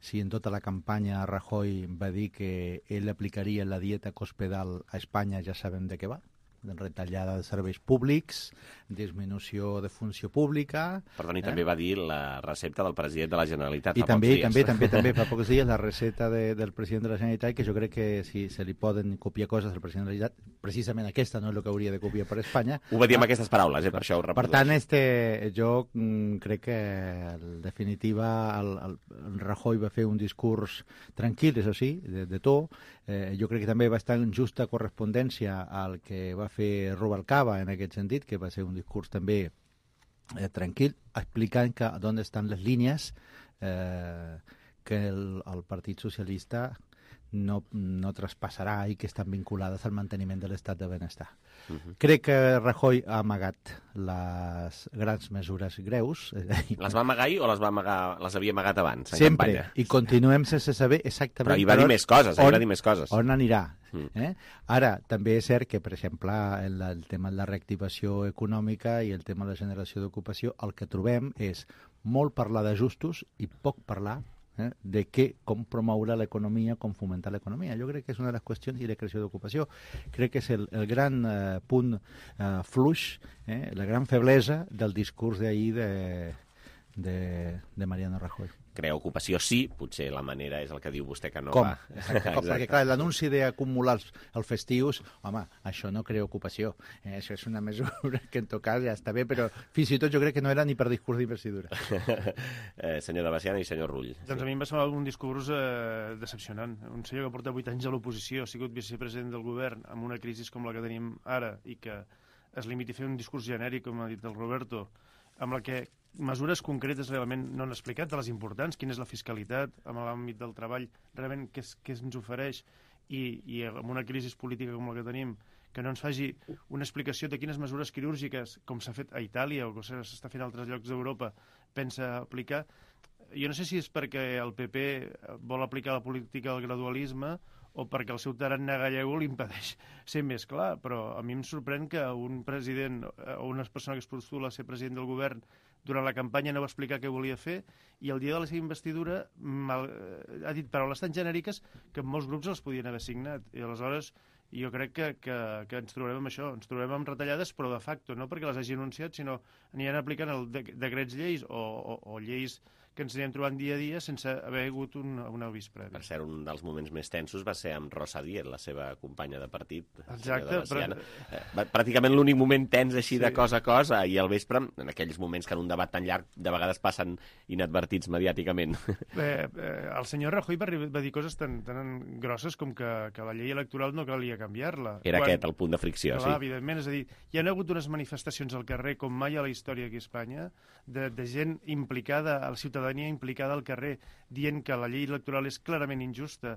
Si en tota la campanya Rajoy va dir que ell aplicaria la dieta cospedal a Espanya, ja sabem de què va. Retallada de serveis públics, disminució de funció pública... Perdoni, eh? també va dir la recepta del president de la Generalitat I fa també, pocs dies. també, també, també, fa pocs dies, la recepta de, del president de la Generalitat, que jo crec que si se li poden copiar coses al president de la Generalitat, precisament aquesta no és el que hauria de copiar per Espanya. Ho va dir amb ah, aquestes paraules, eh, per això ho reprodueixo. Per tant, este, jo mm, crec que, en definitiva, el, el, el Rajoy va fer un discurs tranquil, això sí, de, de to. Eh, jo crec que també va estar en justa correspondència al que va fer Rubalcaba en aquest sentit, que va ser un discurs també eh, tranquil, explicant que on estan les línies eh, que el, el Partit Socialista no, no traspassarà i que estan vinculades al manteniment de l'estat de benestar. Uh-huh. Crec que Rajoy ha amagat les grans mesures greus. Les va amagar o les, va amagar, les havia amagat abans? Sempre, campanya? I continuem sense saber exactament... Però hi va dir més coses, on, hi va dir més coses. On anirà. Eh? Ara, també és cert que, per exemple, el, el tema de la reactivació econòmica i el tema de la generació d'ocupació, el que trobem és molt parlar d'ajustos i poc parlar eh, de què, com promoure l'economia, com fomentar l'economia. Jo crec que és una de les qüestions, i la creació d'ocupació, crec que és el, el gran eh, punt eh, fluix, eh, la gran feblesa del discurs d'ahir de, de, de Mariano Rajoy. Crear ocupació sí, potser la manera és el que diu vostè que no com? va. Exacte, com? Perquè clar, l'anunci d'acumular els, els festius, home, això no crea ocupació. Eh, això és una mesura que en tot cas ja està bé, però fins i tot jo crec que no era ni per discurs d'investidura. eh, senyor de Baciana i senyor Rull. Doncs a mi em va semblar un discurs eh, decepcionant. Un senyor que porta vuit anys a l'oposició, ha sigut vicepresident del govern amb una crisi com la que tenim ara i que es limiti a fer un discurs genèric, com ha dit el Roberto, amb la que mesures concretes realment no han explicat, de les importants, quina és la fiscalitat, amb l'àmbit del treball, realment què, és, què ens ofereix, i, i amb una crisi política com la que tenim, que no ens faci una explicació de quines mesures quirúrgiques, com s'ha fet a Itàlia o que s'està fent a altres llocs d'Europa, pensa aplicar. Jo no sé si és perquè el P P vol aplicar la política del gradualisme o perquè el seu tarannà gallego li impedeix ser més clar, però a mi em sorprèn que un president o una persona que es postula a ser president del govern durant la campanya no va explicar què volia fer i el dia de la seva investidura mal, ha dit paraules tan genèriques que molts grups els podien haver signat. I aleshores jo crec que, que, que ens trobem amb això, ens trobem amb retallades, però de facto, no perquè les hagi anunciat, sinó aniran aplicant el de, decrets lleis o, o, o lleis que ens anirem trobant dia a dia sense haver hagut un, un avís previ. Per cert, un dels moments més tensos va ser amb Rosa Díez, la seva companya de partit. Exacte. Però... Eh, pràcticament l'únic moment tens així sí. de cosa a cosa, i al vespre, en aquells moments que en un debat tan llarg de vegades passen inadvertits mediàticament. Bé, eh, el senyor Rajoy va, va dir coses tan, tan grosses com que, que la llei electoral no calia canviar-la. Era Quan... aquest el punt de fricció, clar, sí. Evidentment, és a dir, hi ha hagut unes manifestacions al carrer com mai a la història aquí a Espanya, de, de gent implicada, a la ciutadania implicada al carrer, dient que la llei electoral és clarament injusta.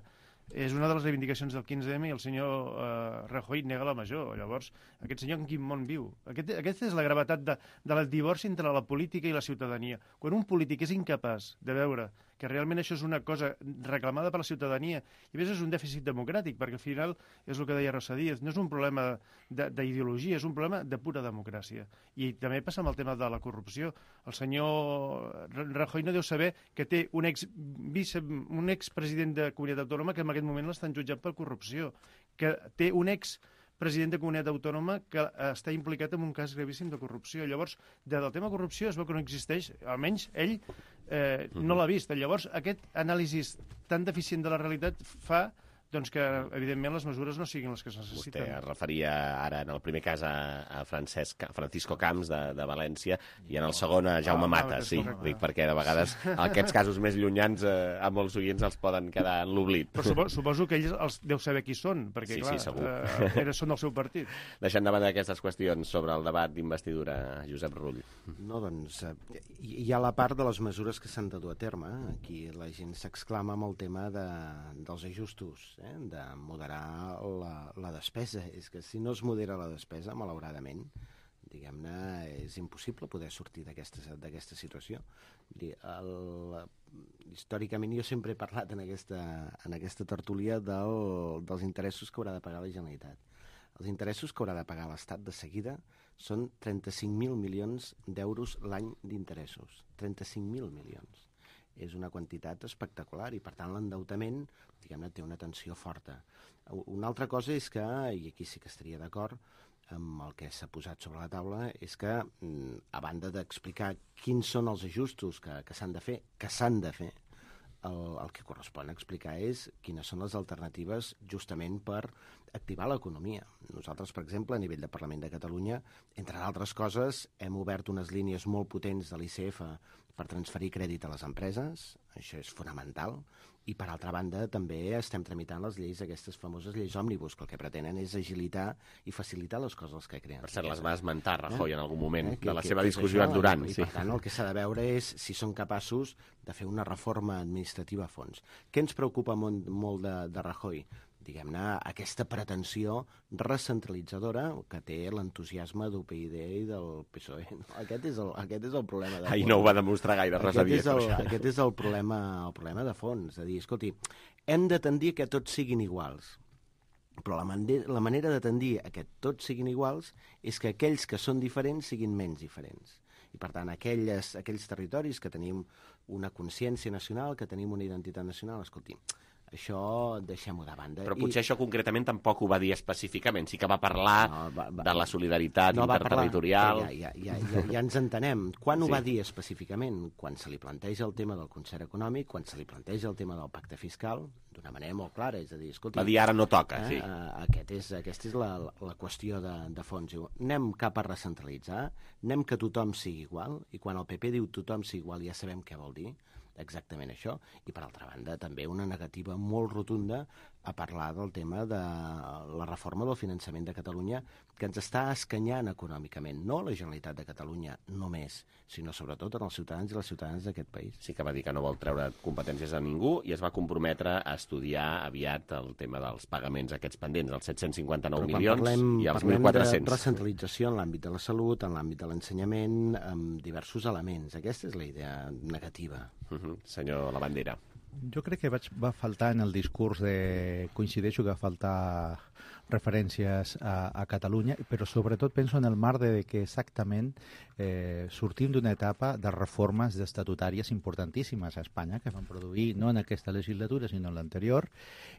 És una de les reivindicacions del quinze eme i el senyor eh, Rajoy nega la major. Llavors, aquest senyor en quin món viu? Aquest, aquesta és la gravetat de, del divorci entre la política i la ciutadania. Quan un polític és incapaç de veure que realment això és una cosa reclamada per la ciutadania, i a més és un dèficit democràtic, perquè al final és el que deia Rosa Díez, no és un problema d'ideologia, és un problema de pura democràcia. I també passa amb el tema de la corrupció. El senyor Rajoy no deu saber que té un ex vice, un expresident de comunitat autònoma que en aquest moment l'estan jutjant per corrupció, que té un ex president de comunitat autònoma que està implicat en un cas gravíssim de corrupció. Llavors, del tema corrupció es veu que no existeix, almenys ell eh, no l'ha vist. Llavors, aquest anàlisi tan deficient de la realitat fa doncs que, evidentment, les mesures no siguin les que es necessiten. Vostè es referia ara, en el primer cas, a, a Francesc, Francisco Camps, de, de València, i en el segon a Jaume Ah, Mata, ah, sí, correcte. dic, perquè de vegades aquests casos més llunyans eh, a molts oients els poden quedar en l'oblit. Però suposo, suposo que ells els deu saber qui són, perquè, Sí, clar, sí, segur. eh, era, són del seu partit. Deixant de banda aquestes qüestions sobre el debat d'investidura, Josep Rull. No, doncs, eh, hi hi ha la part de les mesures que s'han de dur a terme. Aquí la gent s'exclama amb el tema de, dels ajustos, eh, de moderar la, la despesa. És que si no es modera la despesa, malauradament, diguem-ne, és impossible poder sortir d'aquesta d'aquesta situació. Vull dir, el, històricament jo sempre he parlat en aquesta, en aquesta tertúlia del, dels interessos que haurà de pagar la Generalitat. Els interessos que haurà de pagar l'Estat de seguida són trenta-cinc mil milions d'euros l'any d'interessos. trenta-cinc mil milions. És una quantitat espectacular i, per tant, l'endeutament, diguem-ne, té una tensió forta. Una altra cosa és que, i aquí sí que estaria d'acord amb el que s'ha posat sobre la taula, és que, a banda d'explicar quins són els ajustos que, que s'han de fer, que s'han de fer, el, el que correspon explicar és quines són les alternatives justament per activar l'economia. Nosaltres, per exemple, a nivell de Parlament de Catalunya, entre altres coses, hem obert unes línies molt potents de l'I C F per transferir crèdit a les empreses, això és fonamental, i per altra banda també estem tramitant les lleis, aquestes famoses lleis òmnibus, que el que pretenen és agilitar i facilitar les coses que creen. Per cert, les va esmentar Rajoy eh? en algun moment eh? que, de la que, seva que discussió això, durant. I Sí. per tant el que s'ha de veure és si són capaços de fer una reforma administrativa a fons. Què ens preocupa molt, molt de, de Rajoy? Diguem-ne, aquesta pretensió recentralitzadora que té l'entusiasme d'U P I D i del P S O E. Aquest és el, aquest és el problema de fons. Ahir no ho va demostrar gaire, res Aquest havia és el, això. aquest és el problema, el problema de fons, de dir, escolti, hem de tendir que tots siguin iguals, però la, manera, la manera de tendir a que tots siguin iguals és que aquells que són diferents siguin menys diferents. I, per tant, aquelles, aquells territoris que tenim una consciència nacional, que tenim una identitat nacional, escolti, això deixem-ho de banda. Però potser I... això concretament tampoc ho va dir específicament, sí que va parlar no, va, va, de la solidaritat no, interterritorial. Ja, ja, ja, ja, ja ens entenem. Quan Sí. ho va dir específicament? Quan se li planteja el tema del concert econòmic, quan se li planteja el tema del pacte fiscal, d'una manera molt clara, és a dir, escolti... Va dir ara no toca, eh, sí. eh, Aquest és, aquesta és la, la qüestió de, de fons. Diu, anem cap a recentralitzar, anem que tothom sigui igual, i quan el P P diu tothom sigui igual ja sabem què vol dir, exactament això, i per altra banda també una negativa molt rotunda a parlar del tema de la reforma del finançament de Catalunya que ens està escanyant econòmicament, no la Generalitat de Catalunya només, sinó sobretot en els ciutadans i les ciutadanes d'aquest país. Sí que va dir que no vol treure competències a ningú i es va comprometre a estudiar aviat el tema dels pagaments aquests pendents, els set-cents cinquanta-nou milions parlem, i els parlem mil quatre-cents. de recentralització en l'àmbit de la salut, en l'àmbit de l'ensenyament, amb diversos elements. Aquesta és la idea negativa. Uh -huh. Senyor Labandera. Jo crec que vaig, va faltar en el discurs de... Coincideixo que va faltar referències a, a Catalunya, però sobretot penso en el marc de que exactament eh, sortim d'una etapa de reformes estatutàries importantíssimes a Espanya que van produir no en aquesta legislatura sinó en l'anterior,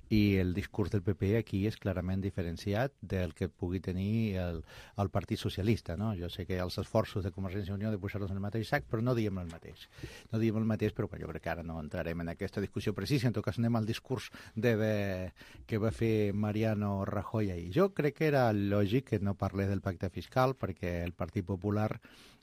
i el discurs del P P aquí és clarament diferenciat del que pugui tenir el, el Partit Socialista. No? Jo sé que els esforços de Convergència i Unió de posar-los en el mateix sac, però no diem el mateix. No diem el mateix, però jo crec que ara no entrarem en aquesta discussió precisa. En tot cas anem al discurs de, de, que va fer Mariano Rajoy ahir. Jo crec que era lògic que no parlés del pacte fiscal perquè el Partit Popular,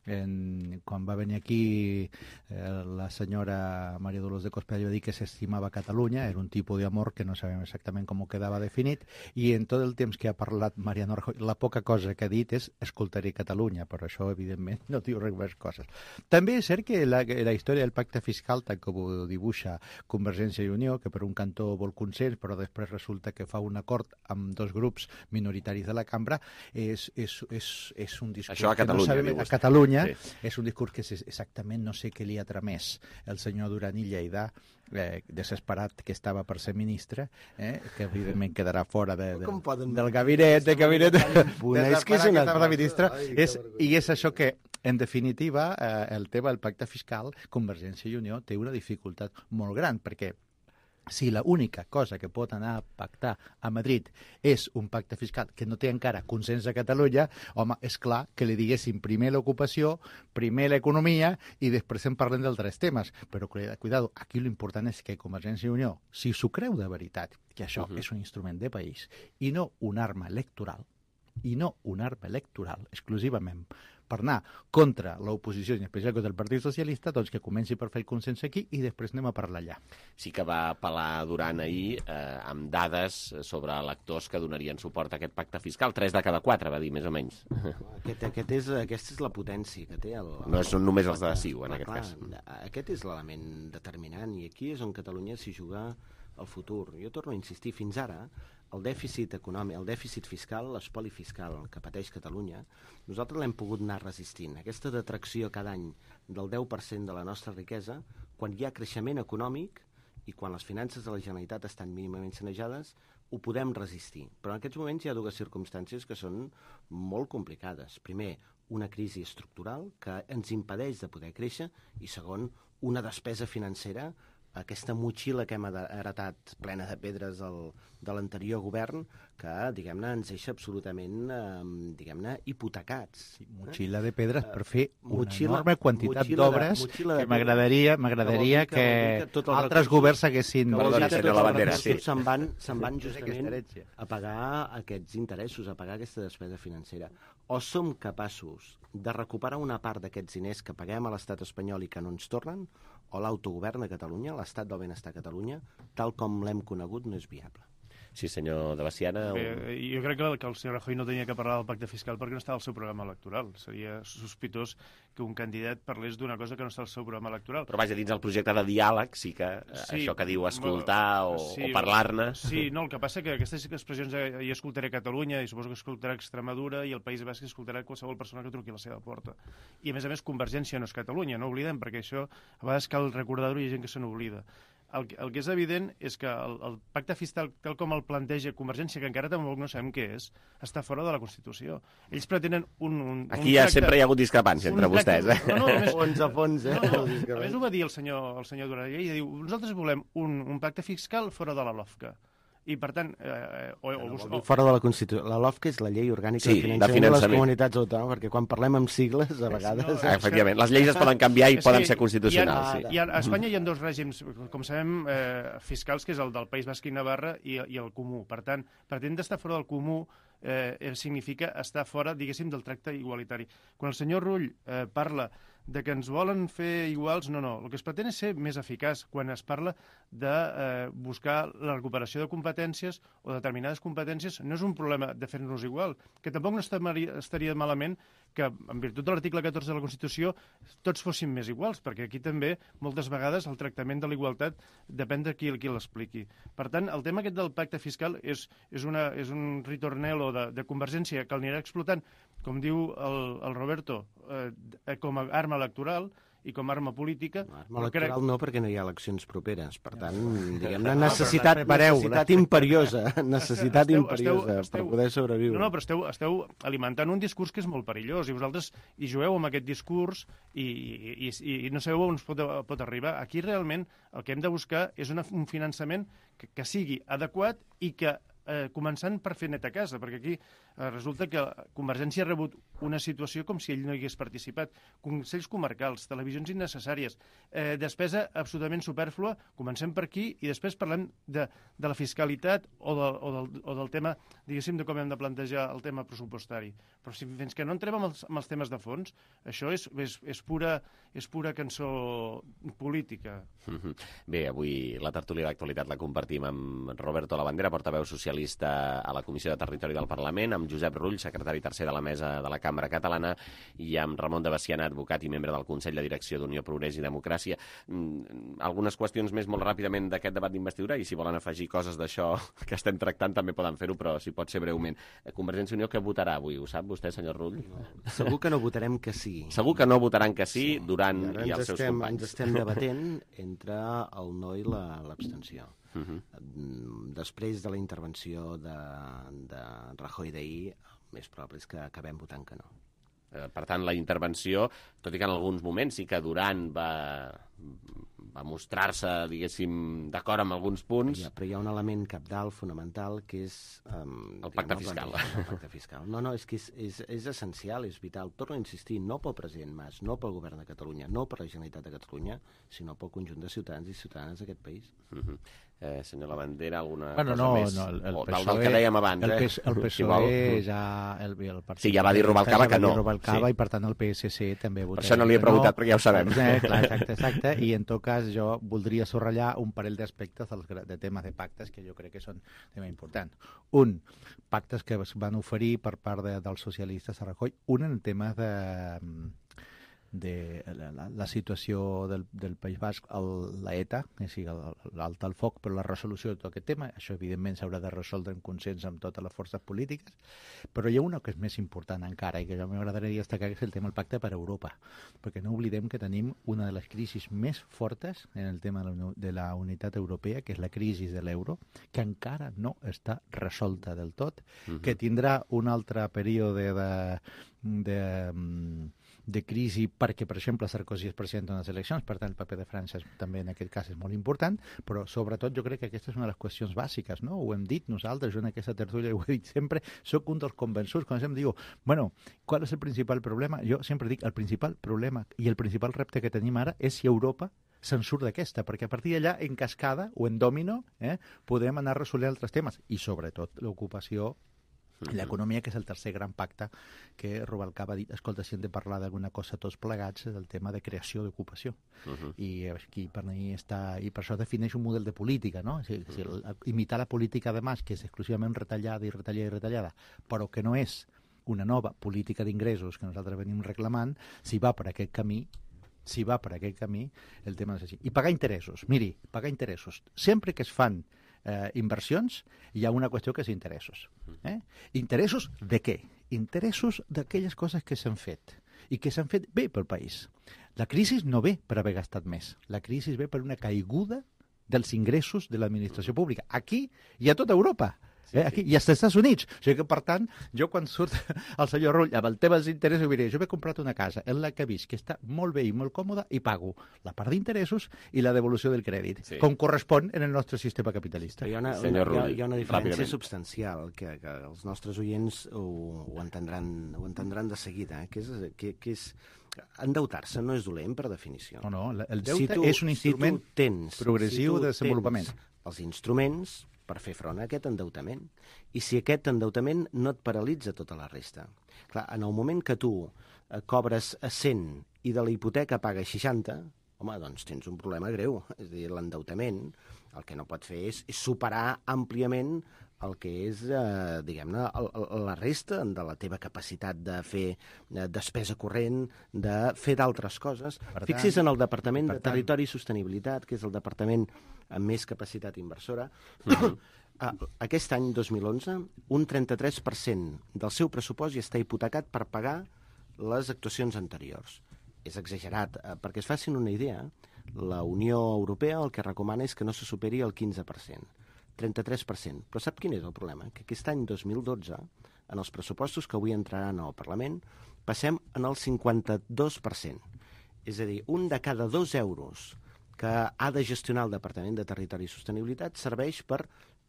en, quan va venir aquí eh, la senyora María Dolors de Cospedal va dir que s'estimava Catalunya, era un tipus d'amor que no sabem exactament com quedava definit, i en tot el temps que ha parlat Mariano Rajoy, la poca cosa que ha dit és escoltaré Catalunya, però això evidentment no diu res més coses. També és cert que la, la història del pacte fiscal, tal com ho dibuixa Convergència i Unió, que per un cantó vol consens, però després resulta que fa un acord amb dos grups minoritaris de la cambra, és, és, és, és un discurs això a Catalunya, que no sabem, a Catalunya sí. És un discurs que és exactament no sé què li ha tramès el senyor Duran i Lleida, eh, desesperat que estava per ser ministre, eh, que evidentment quedarà fora de, de, del gabinet, de gabinet de, de, és que és una... de ministre, és, i és això que en definitiva, eh, el tema del pacte fiscal, Convergència i Unió té una dificultat molt gran, perquè si l'única cosa que pot anar a pactar a Madrid és un pacte fiscal que no té encara consens a Catalunya, home, és clar que li diguéssim primer l'ocupació, primer l'economia i després en parlem d'altres temes. Però, cuidado, aquí l'important és que Convergència i Unió, si s'ho creu de veritat, que això uh-huh. és un instrument de país i no una arma electoral, i no una arma electoral exclusivament per anar contra l'oposició, i en especial contra el Partit Socialista, doncs que comenci per fer el consens aquí i després anem a parlar allà. Sí que va apel·lar Duran ahir eh, amb dades sobre electors que donarien suport a aquest pacte fiscal. Tres de cada quatre, va dir, més o menys. Aquest, aquest és, aquesta és la potència que té. El, el, no són només els de CiU, en aquest clar, cas. Aquest és l'element determinant, i aquí és on Catalunya s'hi juga el futur. Jo torno a insistir, fins ara, el dèficit econòmic, el dèficit fiscal, l'espoli fiscal que pateix Catalunya, nosaltres l'hem pogut anar resistint. Aquesta detracció cada any del deu per cent de la nostra riquesa, quan hi ha creixement econòmic i quan les finances de la Generalitat estan mínimament sanejades, ho podem resistir. Però en aquests moments hi ha dues circumstàncies que són molt complicades. Primer, una crisi estructural que ens impedeix de poder créixer, i segon, una despesa financera, aquesta motxilla que hem heretat plena de pedres del, de l'anterior govern, que, diguem-ne, ens deixa absolutament, eh, diguem-ne, hipotecats. Sí, motxilla de pedres per fer una motxilla, enorme quantitat d'obres que m'agradaria m'agradaria que, que, que altres governs haguessin... Que vol dir que tots els recursos se'n van, se'n van justament a pagar aquests interessos, a pagar aquesta despesa financera. O som capaços de recuperar una part d'aquests diners que paguem a l'estat espanyol i que no ens tornen, o l'autogovern de Catalunya, l'estat del benestar a Catalunya, tal com l'hem conegut, no és viable. Sí, senyor de Baciana. Bé, jo crec que, que el senyor Rajoy no tenia que parlar del pacte fiscal perquè no estava al seu programa electoral. Seria sospitós que un candidat parlés d'una cosa que no està al seu programa electoral. Però vaja, dins el projecte de diàleg sí que sí, això que diu escoltar o, sí, o parlar-ne... Sí, no, el que passa que aquestes expressions hi escoltaré Catalunya i suposo que escoltarà Extremadura i el País Basc escoltarà qualsevol persona que truqui a la seva porta. I a més a més Convergència no és Catalunya, no oblidem, perquè això a vegades cal recordar-ho i hi ha gent que se n'oblida. El, el que és evident és que el, el pacte fiscal, tal com el planteja Convergència, que encara tampoc no sabem què és, està fora de la Constitució. Ells pretenen un... un Aquí un ja tracte, sempre hi ha hagut discrepància entre vostès, eh? No, no, més, fons a fons, eh? No, no, a més ho va dir el senyor, el senyor Duran, i diu, nosaltres volem un, un pacte fiscal fora de la LOFCA. I, per tant... Eh, o, o, o, fora de la Constitució. La LOFCA és la llei orgànica sí, de, finançament de finançament de les comunitats autònomes, perquè quan parlem amb sigles, a vegades... No, efectivament, les lleis es poden canviar i poden ser constitucionals. Ha, sí. I a, a Espanya hi ha dos règims, com sabem, eh, fiscals, que és el del País Basc i Navarra i, i el comú. Per tant, pretendre estar fora del comú eh, significa estar fora, diguéssim, del tracte igualitari. Quan el senyor Rull eh, parla de que ens volen fer iguals, no, no. El que es pretén és ser més eficaç quan es parla de eh, buscar la recuperació de competències o determinades competències. No és un problema de fer-nos igual, que tampoc no estaria malament que, en virtut de l'article catorze de la Constitució, tots fossin més iguals, perquè aquí també, moltes vegades, el tractament de la igualtat depèn de qui, qui l'expliqui. Per tant, el tema aquest del pacte fiscal és, és, una, és un ritornello de, de Convergència que l'anirà explotant, com diu el, el Roberto, eh, com a arma electoral i com a arma política. No, arma electoral crec... no, perquè no hi ha eleccions properes. Per tant, diguem-ne, necessitat, necessitat imperiosa, necessitat esteu, imperiosa esteu, esteu, per poder sobreviure. No, no, però esteu, esteu alimentant un discurs que és molt perillós i vosaltres hi jugueu amb aquest discurs i, i, i, i no sabeu on es pot, pot arribar. Aquí realment el que hem de buscar és una, un finançament que, que sigui adequat i que Eh, començant per fer net a casa, perquè aquí eh, resulta que Convergència ha rebut una situació com si ell no hi hagués participat. Consells comarcals, televisions innecessàries, eh, despesa absolutament supèrflua, comencem per aquí i després parlem de, de la fiscalitat o, de, o, del, o del tema, diguéssim, de com hem de plantejar el tema pressupostari. Però si, fins que no entrem amb els, amb els temes de fons, això és, és, és, pura, és pura cançó política. Bé, avui la tertúlia d'actualitat la compartim amb Roberto Labandera, portaveu social a la Comissió de Territori del Parlament, amb Josep Rull, secretari tercer de la Mesa de la Cambra Catalana, i amb Ramon de Baciana, advocat i membre del Consell de Direcció d'Unió, Progrés i Democràcia. Mm, algunes qüestions més molt ràpidament d'aquest debat d'investidura, i si volen afegir coses d'això que estem tractant també poden fer-ho, però si pot ser breument. Convergència i Unió, què votarà avui? Ho sap vostè, senyor Rull? No. Segur que no votarem que sí. Segur que no votaran que sí, sí. Duran i, i els seus estem, companys. Ens estem debatent entre el no i l'abstenció. Uh -huh. Després de la intervenció de, de Rajoy d'ahir, més probable és que acabem votant que no. Per tant, la intervenció, tot i que en alguns moments sí que Duran va, va mostrar-se, diguéssim, d'acord amb alguns punts. Ja, però hi ha un element cabdal, fonamental, que és... Um, el pacte fiscal. El pacte fiscal. No, no, és que és, és, és essencial, és vital. Torno a insistir, no pel president Mas, no pel govern de Catalunya, no per la Generalitat de Catalunya, sinó pel conjunt de ciutadans i ciutadanes d'aquest país. Uh-huh. eh, senyor Labandera, alguna bueno, cosa no, més? No, el, el o, P S O E, del que dèiem abans. El, eh? el P S O E ja... El, el partit, sí, ja va dir Rubalcaba que no. Rubalcaba, sí. I per tant el P S C també votarà. Per això no li he preguntat, no, perquè ja ho sabem. Eh, clar, exacte, exacte. I en tot cas jo voldria subratllar un parell d'aspectes de temes de pactes que jo crec que són tema important. Un, pactes que es van oferir per part de, dels socialistes a Rajoy. Un en temes de... de la, la, la situació del, del País Basc, el, la ETA, és a dir, l'alt al foc, però la resolució de tot aquest tema, això evidentment s'haurà de resoldre en consens amb totes les forces polítiques, però hi ha una que és més important encara i que jo m'agradaria destacar, que és el tema del pacte per Europa, perquè no oblidem que tenim una de les crisis més fortes en el tema de la, de la unitat europea, que és la crisi de l'euro, que encara no està resolta del tot, uh-huh. que tindrà un altre període de... de de crisi perquè, per exemple, Sarkozy es presenta en les eleccions, per tant el paper de França també en aquest cas és molt important, però sobretot jo crec que aquesta és una de les qüestions bàsiques, no? Ho hem dit nosaltres, jo en aquesta tertúlia ho he dit sempre, soc un dels convençuts, quan em diu, bueno, qual és el principal problema? Jo sempre dic, el principal problema i el principal repte que tenim ara és si Europa se'n surt d'aquesta, perquè a partir d'allà, en cascada o en domino, eh, podem anar resolent altres temes, i sobretot l'ocupació i l'economia, que és el tercer gran pacte que Rubalcaba ha dit, escolta, si hem de parlar d'alguna cosa tots plegats, és el tema de creació d'ocupació. Uh-huh. I aquí per mi està, i per això defineix un model de política, no? Si, si, el, imitar la política de Mas, que és exclusivament retallada i retallada i retallada, però que no és una nova política d'ingressos que nosaltres venim reclamant, si va per aquest camí, si va per aquest camí, el tema és així. I pagar interessos, miri, pagar interessos. Sempre que es fan Eh, inversions, hi ha una qüestió que és interessos. Eh? Interessos de què? Interessos d'aquelles coses que s'han fet i que s'han fet bé pel país. La crisi no ve per haver gastat més. La crisi ve per una caiguda dels ingressos de l'administració pública. Aquí i a tota Europa. Eh, aquí, i als Estats Units. O sigui que, per tant, jo quan surt el senyor Rull amb el tema dels interessos, diré, jo m'he comprat una casa en la que he vist que està molt bé i molt còmoda i pago la part d'interessos i la devolució del crèdit, sí. com correspon en el nostre sistema capitalista. Hi ha una, una, hi ha, hi ha una diferència substancial que, que els nostres oients ho, ho, entendran, ho entendran de seguida, eh? que és... Que, que és endeutar-se no és dolent, per definició. No, no, el deute si tu, és un instrument si tens, progressiu si de desenvolupament. Els instruments per fer front a aquest endeutament. I si aquest endeutament no et paralitza tota la resta. Clar, en el moment que tu eh, cobres a cent i de la hipoteca pagues seixanta, home, doncs tens un problema greu. És a dir, l'endeutament el que no pot fer és, és superar àmpliament el que és, eh, diguem-ne, la resta de la teva capacitat de fer eh, despesa corrent, de fer d'altres coses. Per Fixis tant, en el Departament de Territori i Sostenibilitat, que és el departament amb més capacitat inversora. Uh-huh. Aquest any, dos mil onze, un trenta-tres per cent del seu pressupost ja està hipotecat per pagar les actuacions anteriors. És exagerat. Perquè es facin una idea, la Unió Europea el que recomana és que no se superi el quinze per cent. trenta-tres per cent. Però sap quin és el problema? Que aquest any dos mil dotze, en els pressupostos que avui entraran al Parlament, passem en el cinquanta-dos per cent. És a dir, un de cada dos euros que ha de gestionar el Departament de Territori i Sostenibilitat serveix per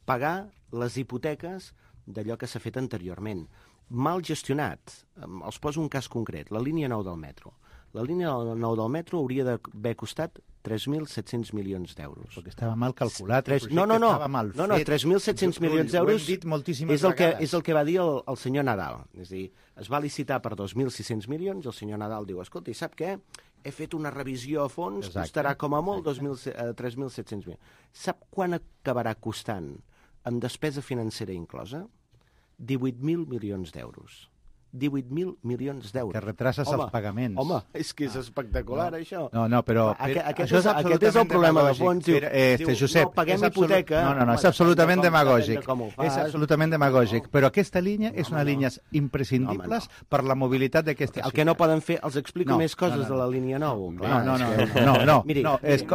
pagar les hipoteques d'allò que s'ha fet anteriorment. Mal gestionat. Els poso un cas concret, la línia nou del metro. La línia nou del metro hauria d'haver costat tres mil set-cents milions d'euros. Perquè estava mal calculat, tres... no, no, no, mal no, no, tres mil set-cents milions d'euros és el que és el que va dir el, el senyor Nadal. És a dir, es va licitar per dos mil sis-cents milions i el senyor Nadal diu, escolta, i sap què? He fet una revisió a fons, exacte, costarà com a molt tres mil set-cents milions. Sap quan acabarà costant, amb despesa financera inclosa? divuit mil milions d'euros. divuit mil milions d'euros. Que retrases home, els pagaments. Home, és que és espectacular, no, això. No, no, però... Aquest, aquest, és, aquest és el problema de fons. Diu, este, diu, Josep, no, paguem hipoteca... No, no, no, és absolutament demagògic. És absolutament demagògic. Però aquesta línia és una línia imprescindibles per la mobilitat d'aquesta ciutat. El que no poden fer, els explico més coses de la línia nou. No, no, no, no, no. Miri, es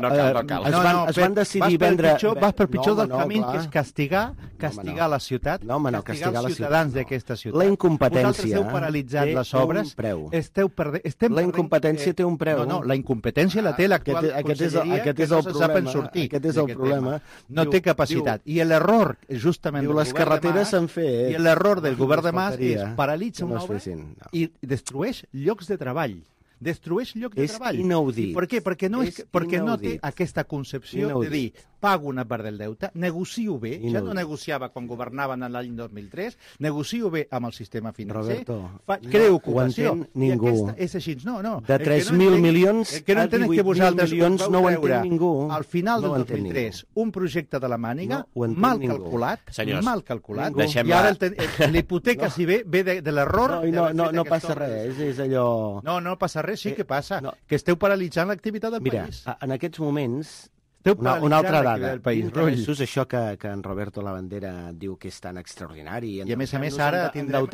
van decidir vendre... Vas per pitjor del camí, que és castigar castigar la ciutat, castigar els ciutadans d'aquesta ciutat. La incompetència. esteu paralitzant les obres, esteu perdent... La incompetència té un preu. No, no, la incompetència la té l'actual conselleria, que no se saben sortir. Aquest és el problema. No té capacitat. I l'error, justament, del govern de Mas, i l'error del govern de Mas és paralitza una obra i destrueix llocs de treball. Destrueix llocs de treball. És inaudit. Per què? Perquè no, és, perquè no té aquesta concepció inaudit. de dir pago una part del deute, negocio bé, inaudit. Ja no negociava quan governaven l'any dos mil tres, negocio bé amb el sistema financer, Roberto, fa, crea ocupació. No ho entén ningú. I aquesta és així. No, no. De tres mil milions a divuit mil milions no ho entén ningú. Al final del dos mil tres, un projecte de la màniga, mal calculat, mal calculat, i ara l'hipoteca, si ve, ve de l'error... No passa res, és allò... No, no passa res. Sí que passa, no. que esteu paralitzant l'activitat del Mira, país. Mira, en aquests moments, esteu una, una altra dada, del país, interessos, això que, que en Roberto Lavandera diu que és tan extraordinari. I a més a més ara tindrem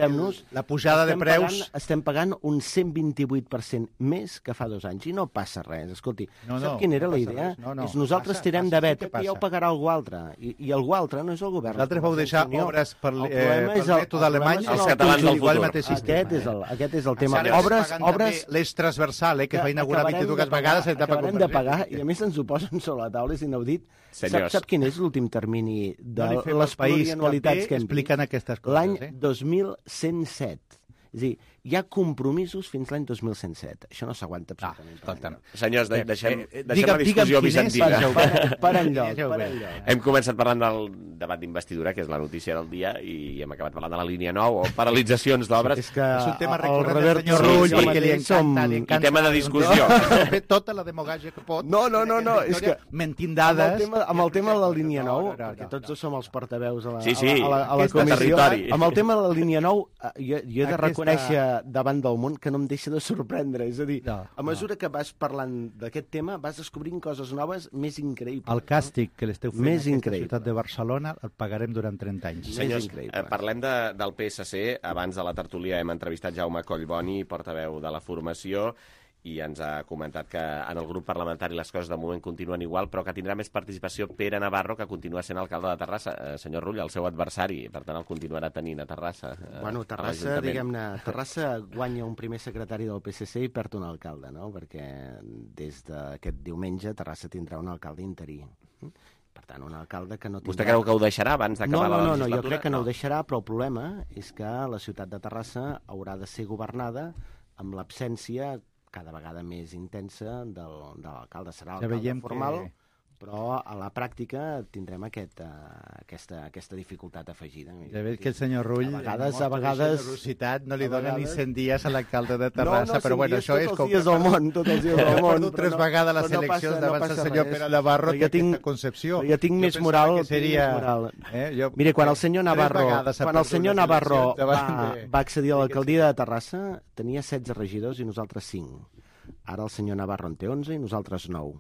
la pujada de preus... Pagant, estem pagant un cent vint-i-vuit per cent més que fa dos anys i no passa res. Escolti, no, no, sap quina era no la idea? No, no, és nosaltres passa, tirem passa, de vet, sí que ja ho pagarà algú altre. I, i algú altre no és el govern. L'altre vau deixar obres per, el eh, per el mètode alemany, els catalans del futur. Aquest és el, aquest és el tema. Obres, obres... L'eix transversal, eh, que va inaugurar vint-i-dues vegades... Acabarem de pagar, i a més ens ho posen sobre la taula, és inaudit. Sap, sap quin és l'últim termini de no les plurianualitats que hem expliquen aquestes coses? L'any eh? dos mil cent set. És a dir, hi ha compromisos fins l'any dos mil cent set. Això no s'aguanta absolutament. Ah, senyors, de, deixem, eh, deixem digue'm, la discussió bizantina. Per enlloc, per enlloc. Hem començat parlant del debat d'investidura, que és la notícia del dia, i hem acabat parlant de la línia nou, o paralitzacions d'obres. És que és un tema recurrent del senyor Rull, sí, perquè li encanta, li encanta. I tema de discussió. Fer tota la demagògia que pot. No, no, no, no, és que... Mentint dades. Amb el tema de la línia nou, perquè tots dos som els portaveus a la, sí, sí, a la, a la comissió, amb el tema de la línia nou, jo, jo he de reconèixer davant del món que no em deixa de sorprendre. És a dir, no, a mesura no. que vas parlant d'aquest tema, vas descobrint coses noves més increïbles. El càstig que l'esteu fent més a aquesta increïble. ciutat de Barcelona el pagarem durant trenta anys. Senyors, eh, parlem de, del P S C. Abans de la tertúlia hem entrevistat Jaume Collboni, portaveu de la formació, i ens ha comentat que en el grup parlamentari les coses de moment continuen igual, però que tindrà més participació Pere Navarro, que continua sent alcalde de Terrassa. Eh, senyor Rull, el seu adversari, per tant el continuarà tenint a Terrassa. Eh, bueno, Terrassa, diguem-ne, Terrassa guanya un primer secretari del P S C i perd un alcalde, no? Perquè des d'aquest diumenge Terrassa tindrà un alcalde interí. Per tant, un alcalde que no tindrà... Vostè creu que ho deixarà abans d'acabar no, no, la no, legislatura? No, jo crec que no ho deixarà, però el problema és que la ciutat de Terrassa haurà de ser governada amb l'absència cada vegada més intensa del, de l'alcalde. Serà l'alcalde formal, que... però a la pràctica tindrem aquest, uh, aquesta, aquesta dificultat afegida. Ja veig que el senyor Rull, a vegades, a vegades... generositat, no li dona vegades... ni cent dies a l'alcalde de Terrassa, no, no, però bueno, això és com... Tots els dies del món, tots els dies del món. He tres vegades les eleccions no davant del senyor Pere Navarro, té aquesta concepció. Jo tinc més moral... Seria... Eh? Jo... Mire, quan el senyor Navarro, quan el senyor Navarro va, va accedir a l'alcaldia de Terrassa, tenia setze regidors i nosaltres cinc. Ara el senyor Navarro en té onze i nosaltres nou.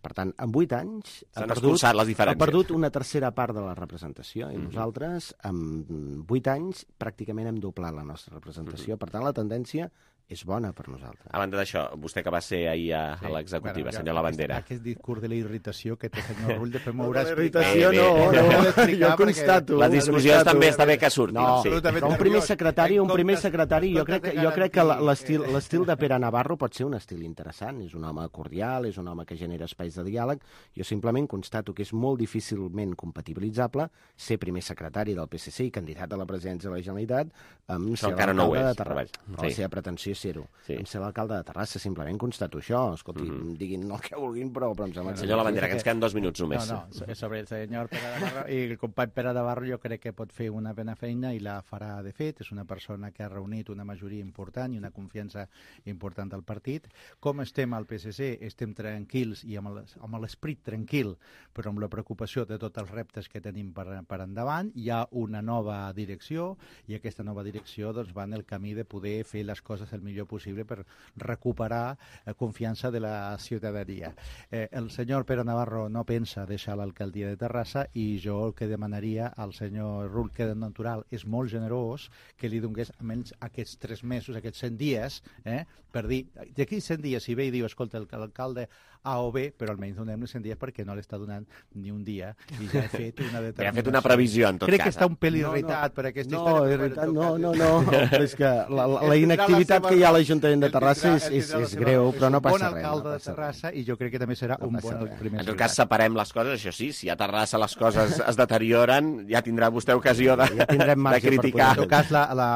Per tant, en vuit anys ha perdut, ha perdut una tercera part de la representació i mm-hmm. nosaltres en vuit anys pràcticament hem doblat la nostra representació. Mm-hmm. Per tant, la tendència és bona per nosaltres. A banda d'això, vostè que va ser ahir a, sí. a l'executiva, bueno, senyor Lavandera. Aquest, aquest discurs de la irritació que té el senyor Rull, després m'haurà explicat. La irritació no, no, no, jo constato. La discussió també està bé que surti. No, sí. Però un primer secretari, un primer secretari, jo crec que, jo crec que l'estil l'estil de Pere Navarro pot ser un estil interessant. És un home cordial, és un home que genera espais de diàleg. Jo simplement constato que és molt difícilment compatibilitzable ser primer secretari del P S C i candidat a la presidència de la Generalitat amb ser l'alcalde de Terrassa. Però la seva pretensió ser-ho. Sí. Em ser l'alcalde de Terrassa, simplement constato això. Escolti, mm-hmm. diguin el que vulguin, però, però em sembla... Senyor Lavandera, que ens queden dos minuts només. No, no, sobre el senyor Pere Navarro i el company Pere Navarro jo crec que pot fer una bona feina i la farà de fet. És una persona que ha reunit una majoria important i una confiança important del partit. Com estem al P S C? Estem tranquils i amb l'esperit tranquil, però amb la preocupació de tots els reptes que tenim per, per endavant. Hi ha una nova direcció i aquesta nova direcció doncs, va en el camí de poder fer les coses el el millor possible per recuperar la confiança de la ciutadania. Eh, el senyor Pere Navarro no pensa deixar l'alcaldia de Terrassa i jo el que demanaria al senyor Rull, que de natural és molt generós, que li donés almenys aquests tres mesos, aquests cent dies, eh, per dir, d'aquí cent dies, si ve i diu, escolta, l'alcalde A o B, però almenys donem-li cent dies perquè no l'està donant ni un dia i ja he fet una determinació. Ha fet una previsió, en tot Crec cas. Crec que està un pel irritat no, no. per aquesta no, història. Irritat, no, no, no, no. És que la, la, la inactivitat que hi ha a l'Ajuntament de Terrassa és, és, és greu, però no passa res. És un bon alcalde de Terrassa i jo crec que també serà un bon primer. En tot cas, separem les coses, això sí, si a Terrassa les coses es deterioren, ja tindrà vostè ocasió de, ja de criticar. En tot cas, la, la,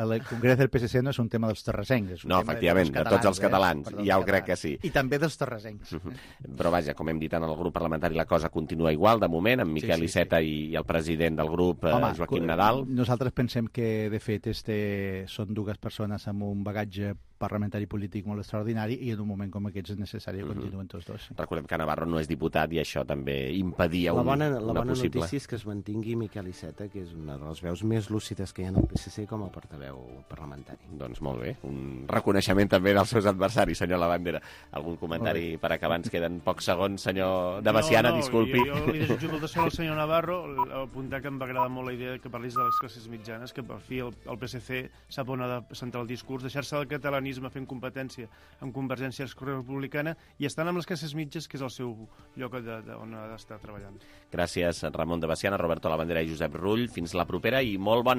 el Congrés del P S C no és un tema dels terrassencs. No, efectivament, de tots els catalans, eh? ja ho crec que sí. I també dels terrassencs. Uh -huh. Però vaja, com hem dit en el grup parlamentari, la cosa continua igual, de moment, amb Miquel sí, sí, Iceta sí. i el president del grup, Home, Joaquim Nadal. Nosaltres pensem que, de fet, este, són dues persones amb un bagatge parlamentari polític molt extraordinari i en un moment com aquest és necessari que uh -huh. continuen tots dos. Sí. Recordem que Navarro no és diputat i això també impedia la un, bona, la una bona possible... notícia és que es mantingui Miquel Iceta, que és una de les veus més lúcides que hi ha en el P S C com a portaveu parlamentari. Doncs molt bé, un reconeixement també dels seus adversaris, senyor Labandera. Algun comentari per acabar? Ens queden pocs segons, senyor de Baciana, no, no, disculpi. Jo, jo li desitjo molta sort al senyor Navarro, apuntar que em va agradar molt la idea que parlis de les classes mitjanes, que per fi el, el P S C sap on ha de centrar el discurs, deixar-se del catalanisme fent competència amb Convergència Esquerra Republicana i estan amb les classes mitges, que és el seu lloc de, de, on ha d'estar treballant. Gràcies, Ramon de Baciana, Roberto Labandera i Josep Rull. Fins la propera i molt bon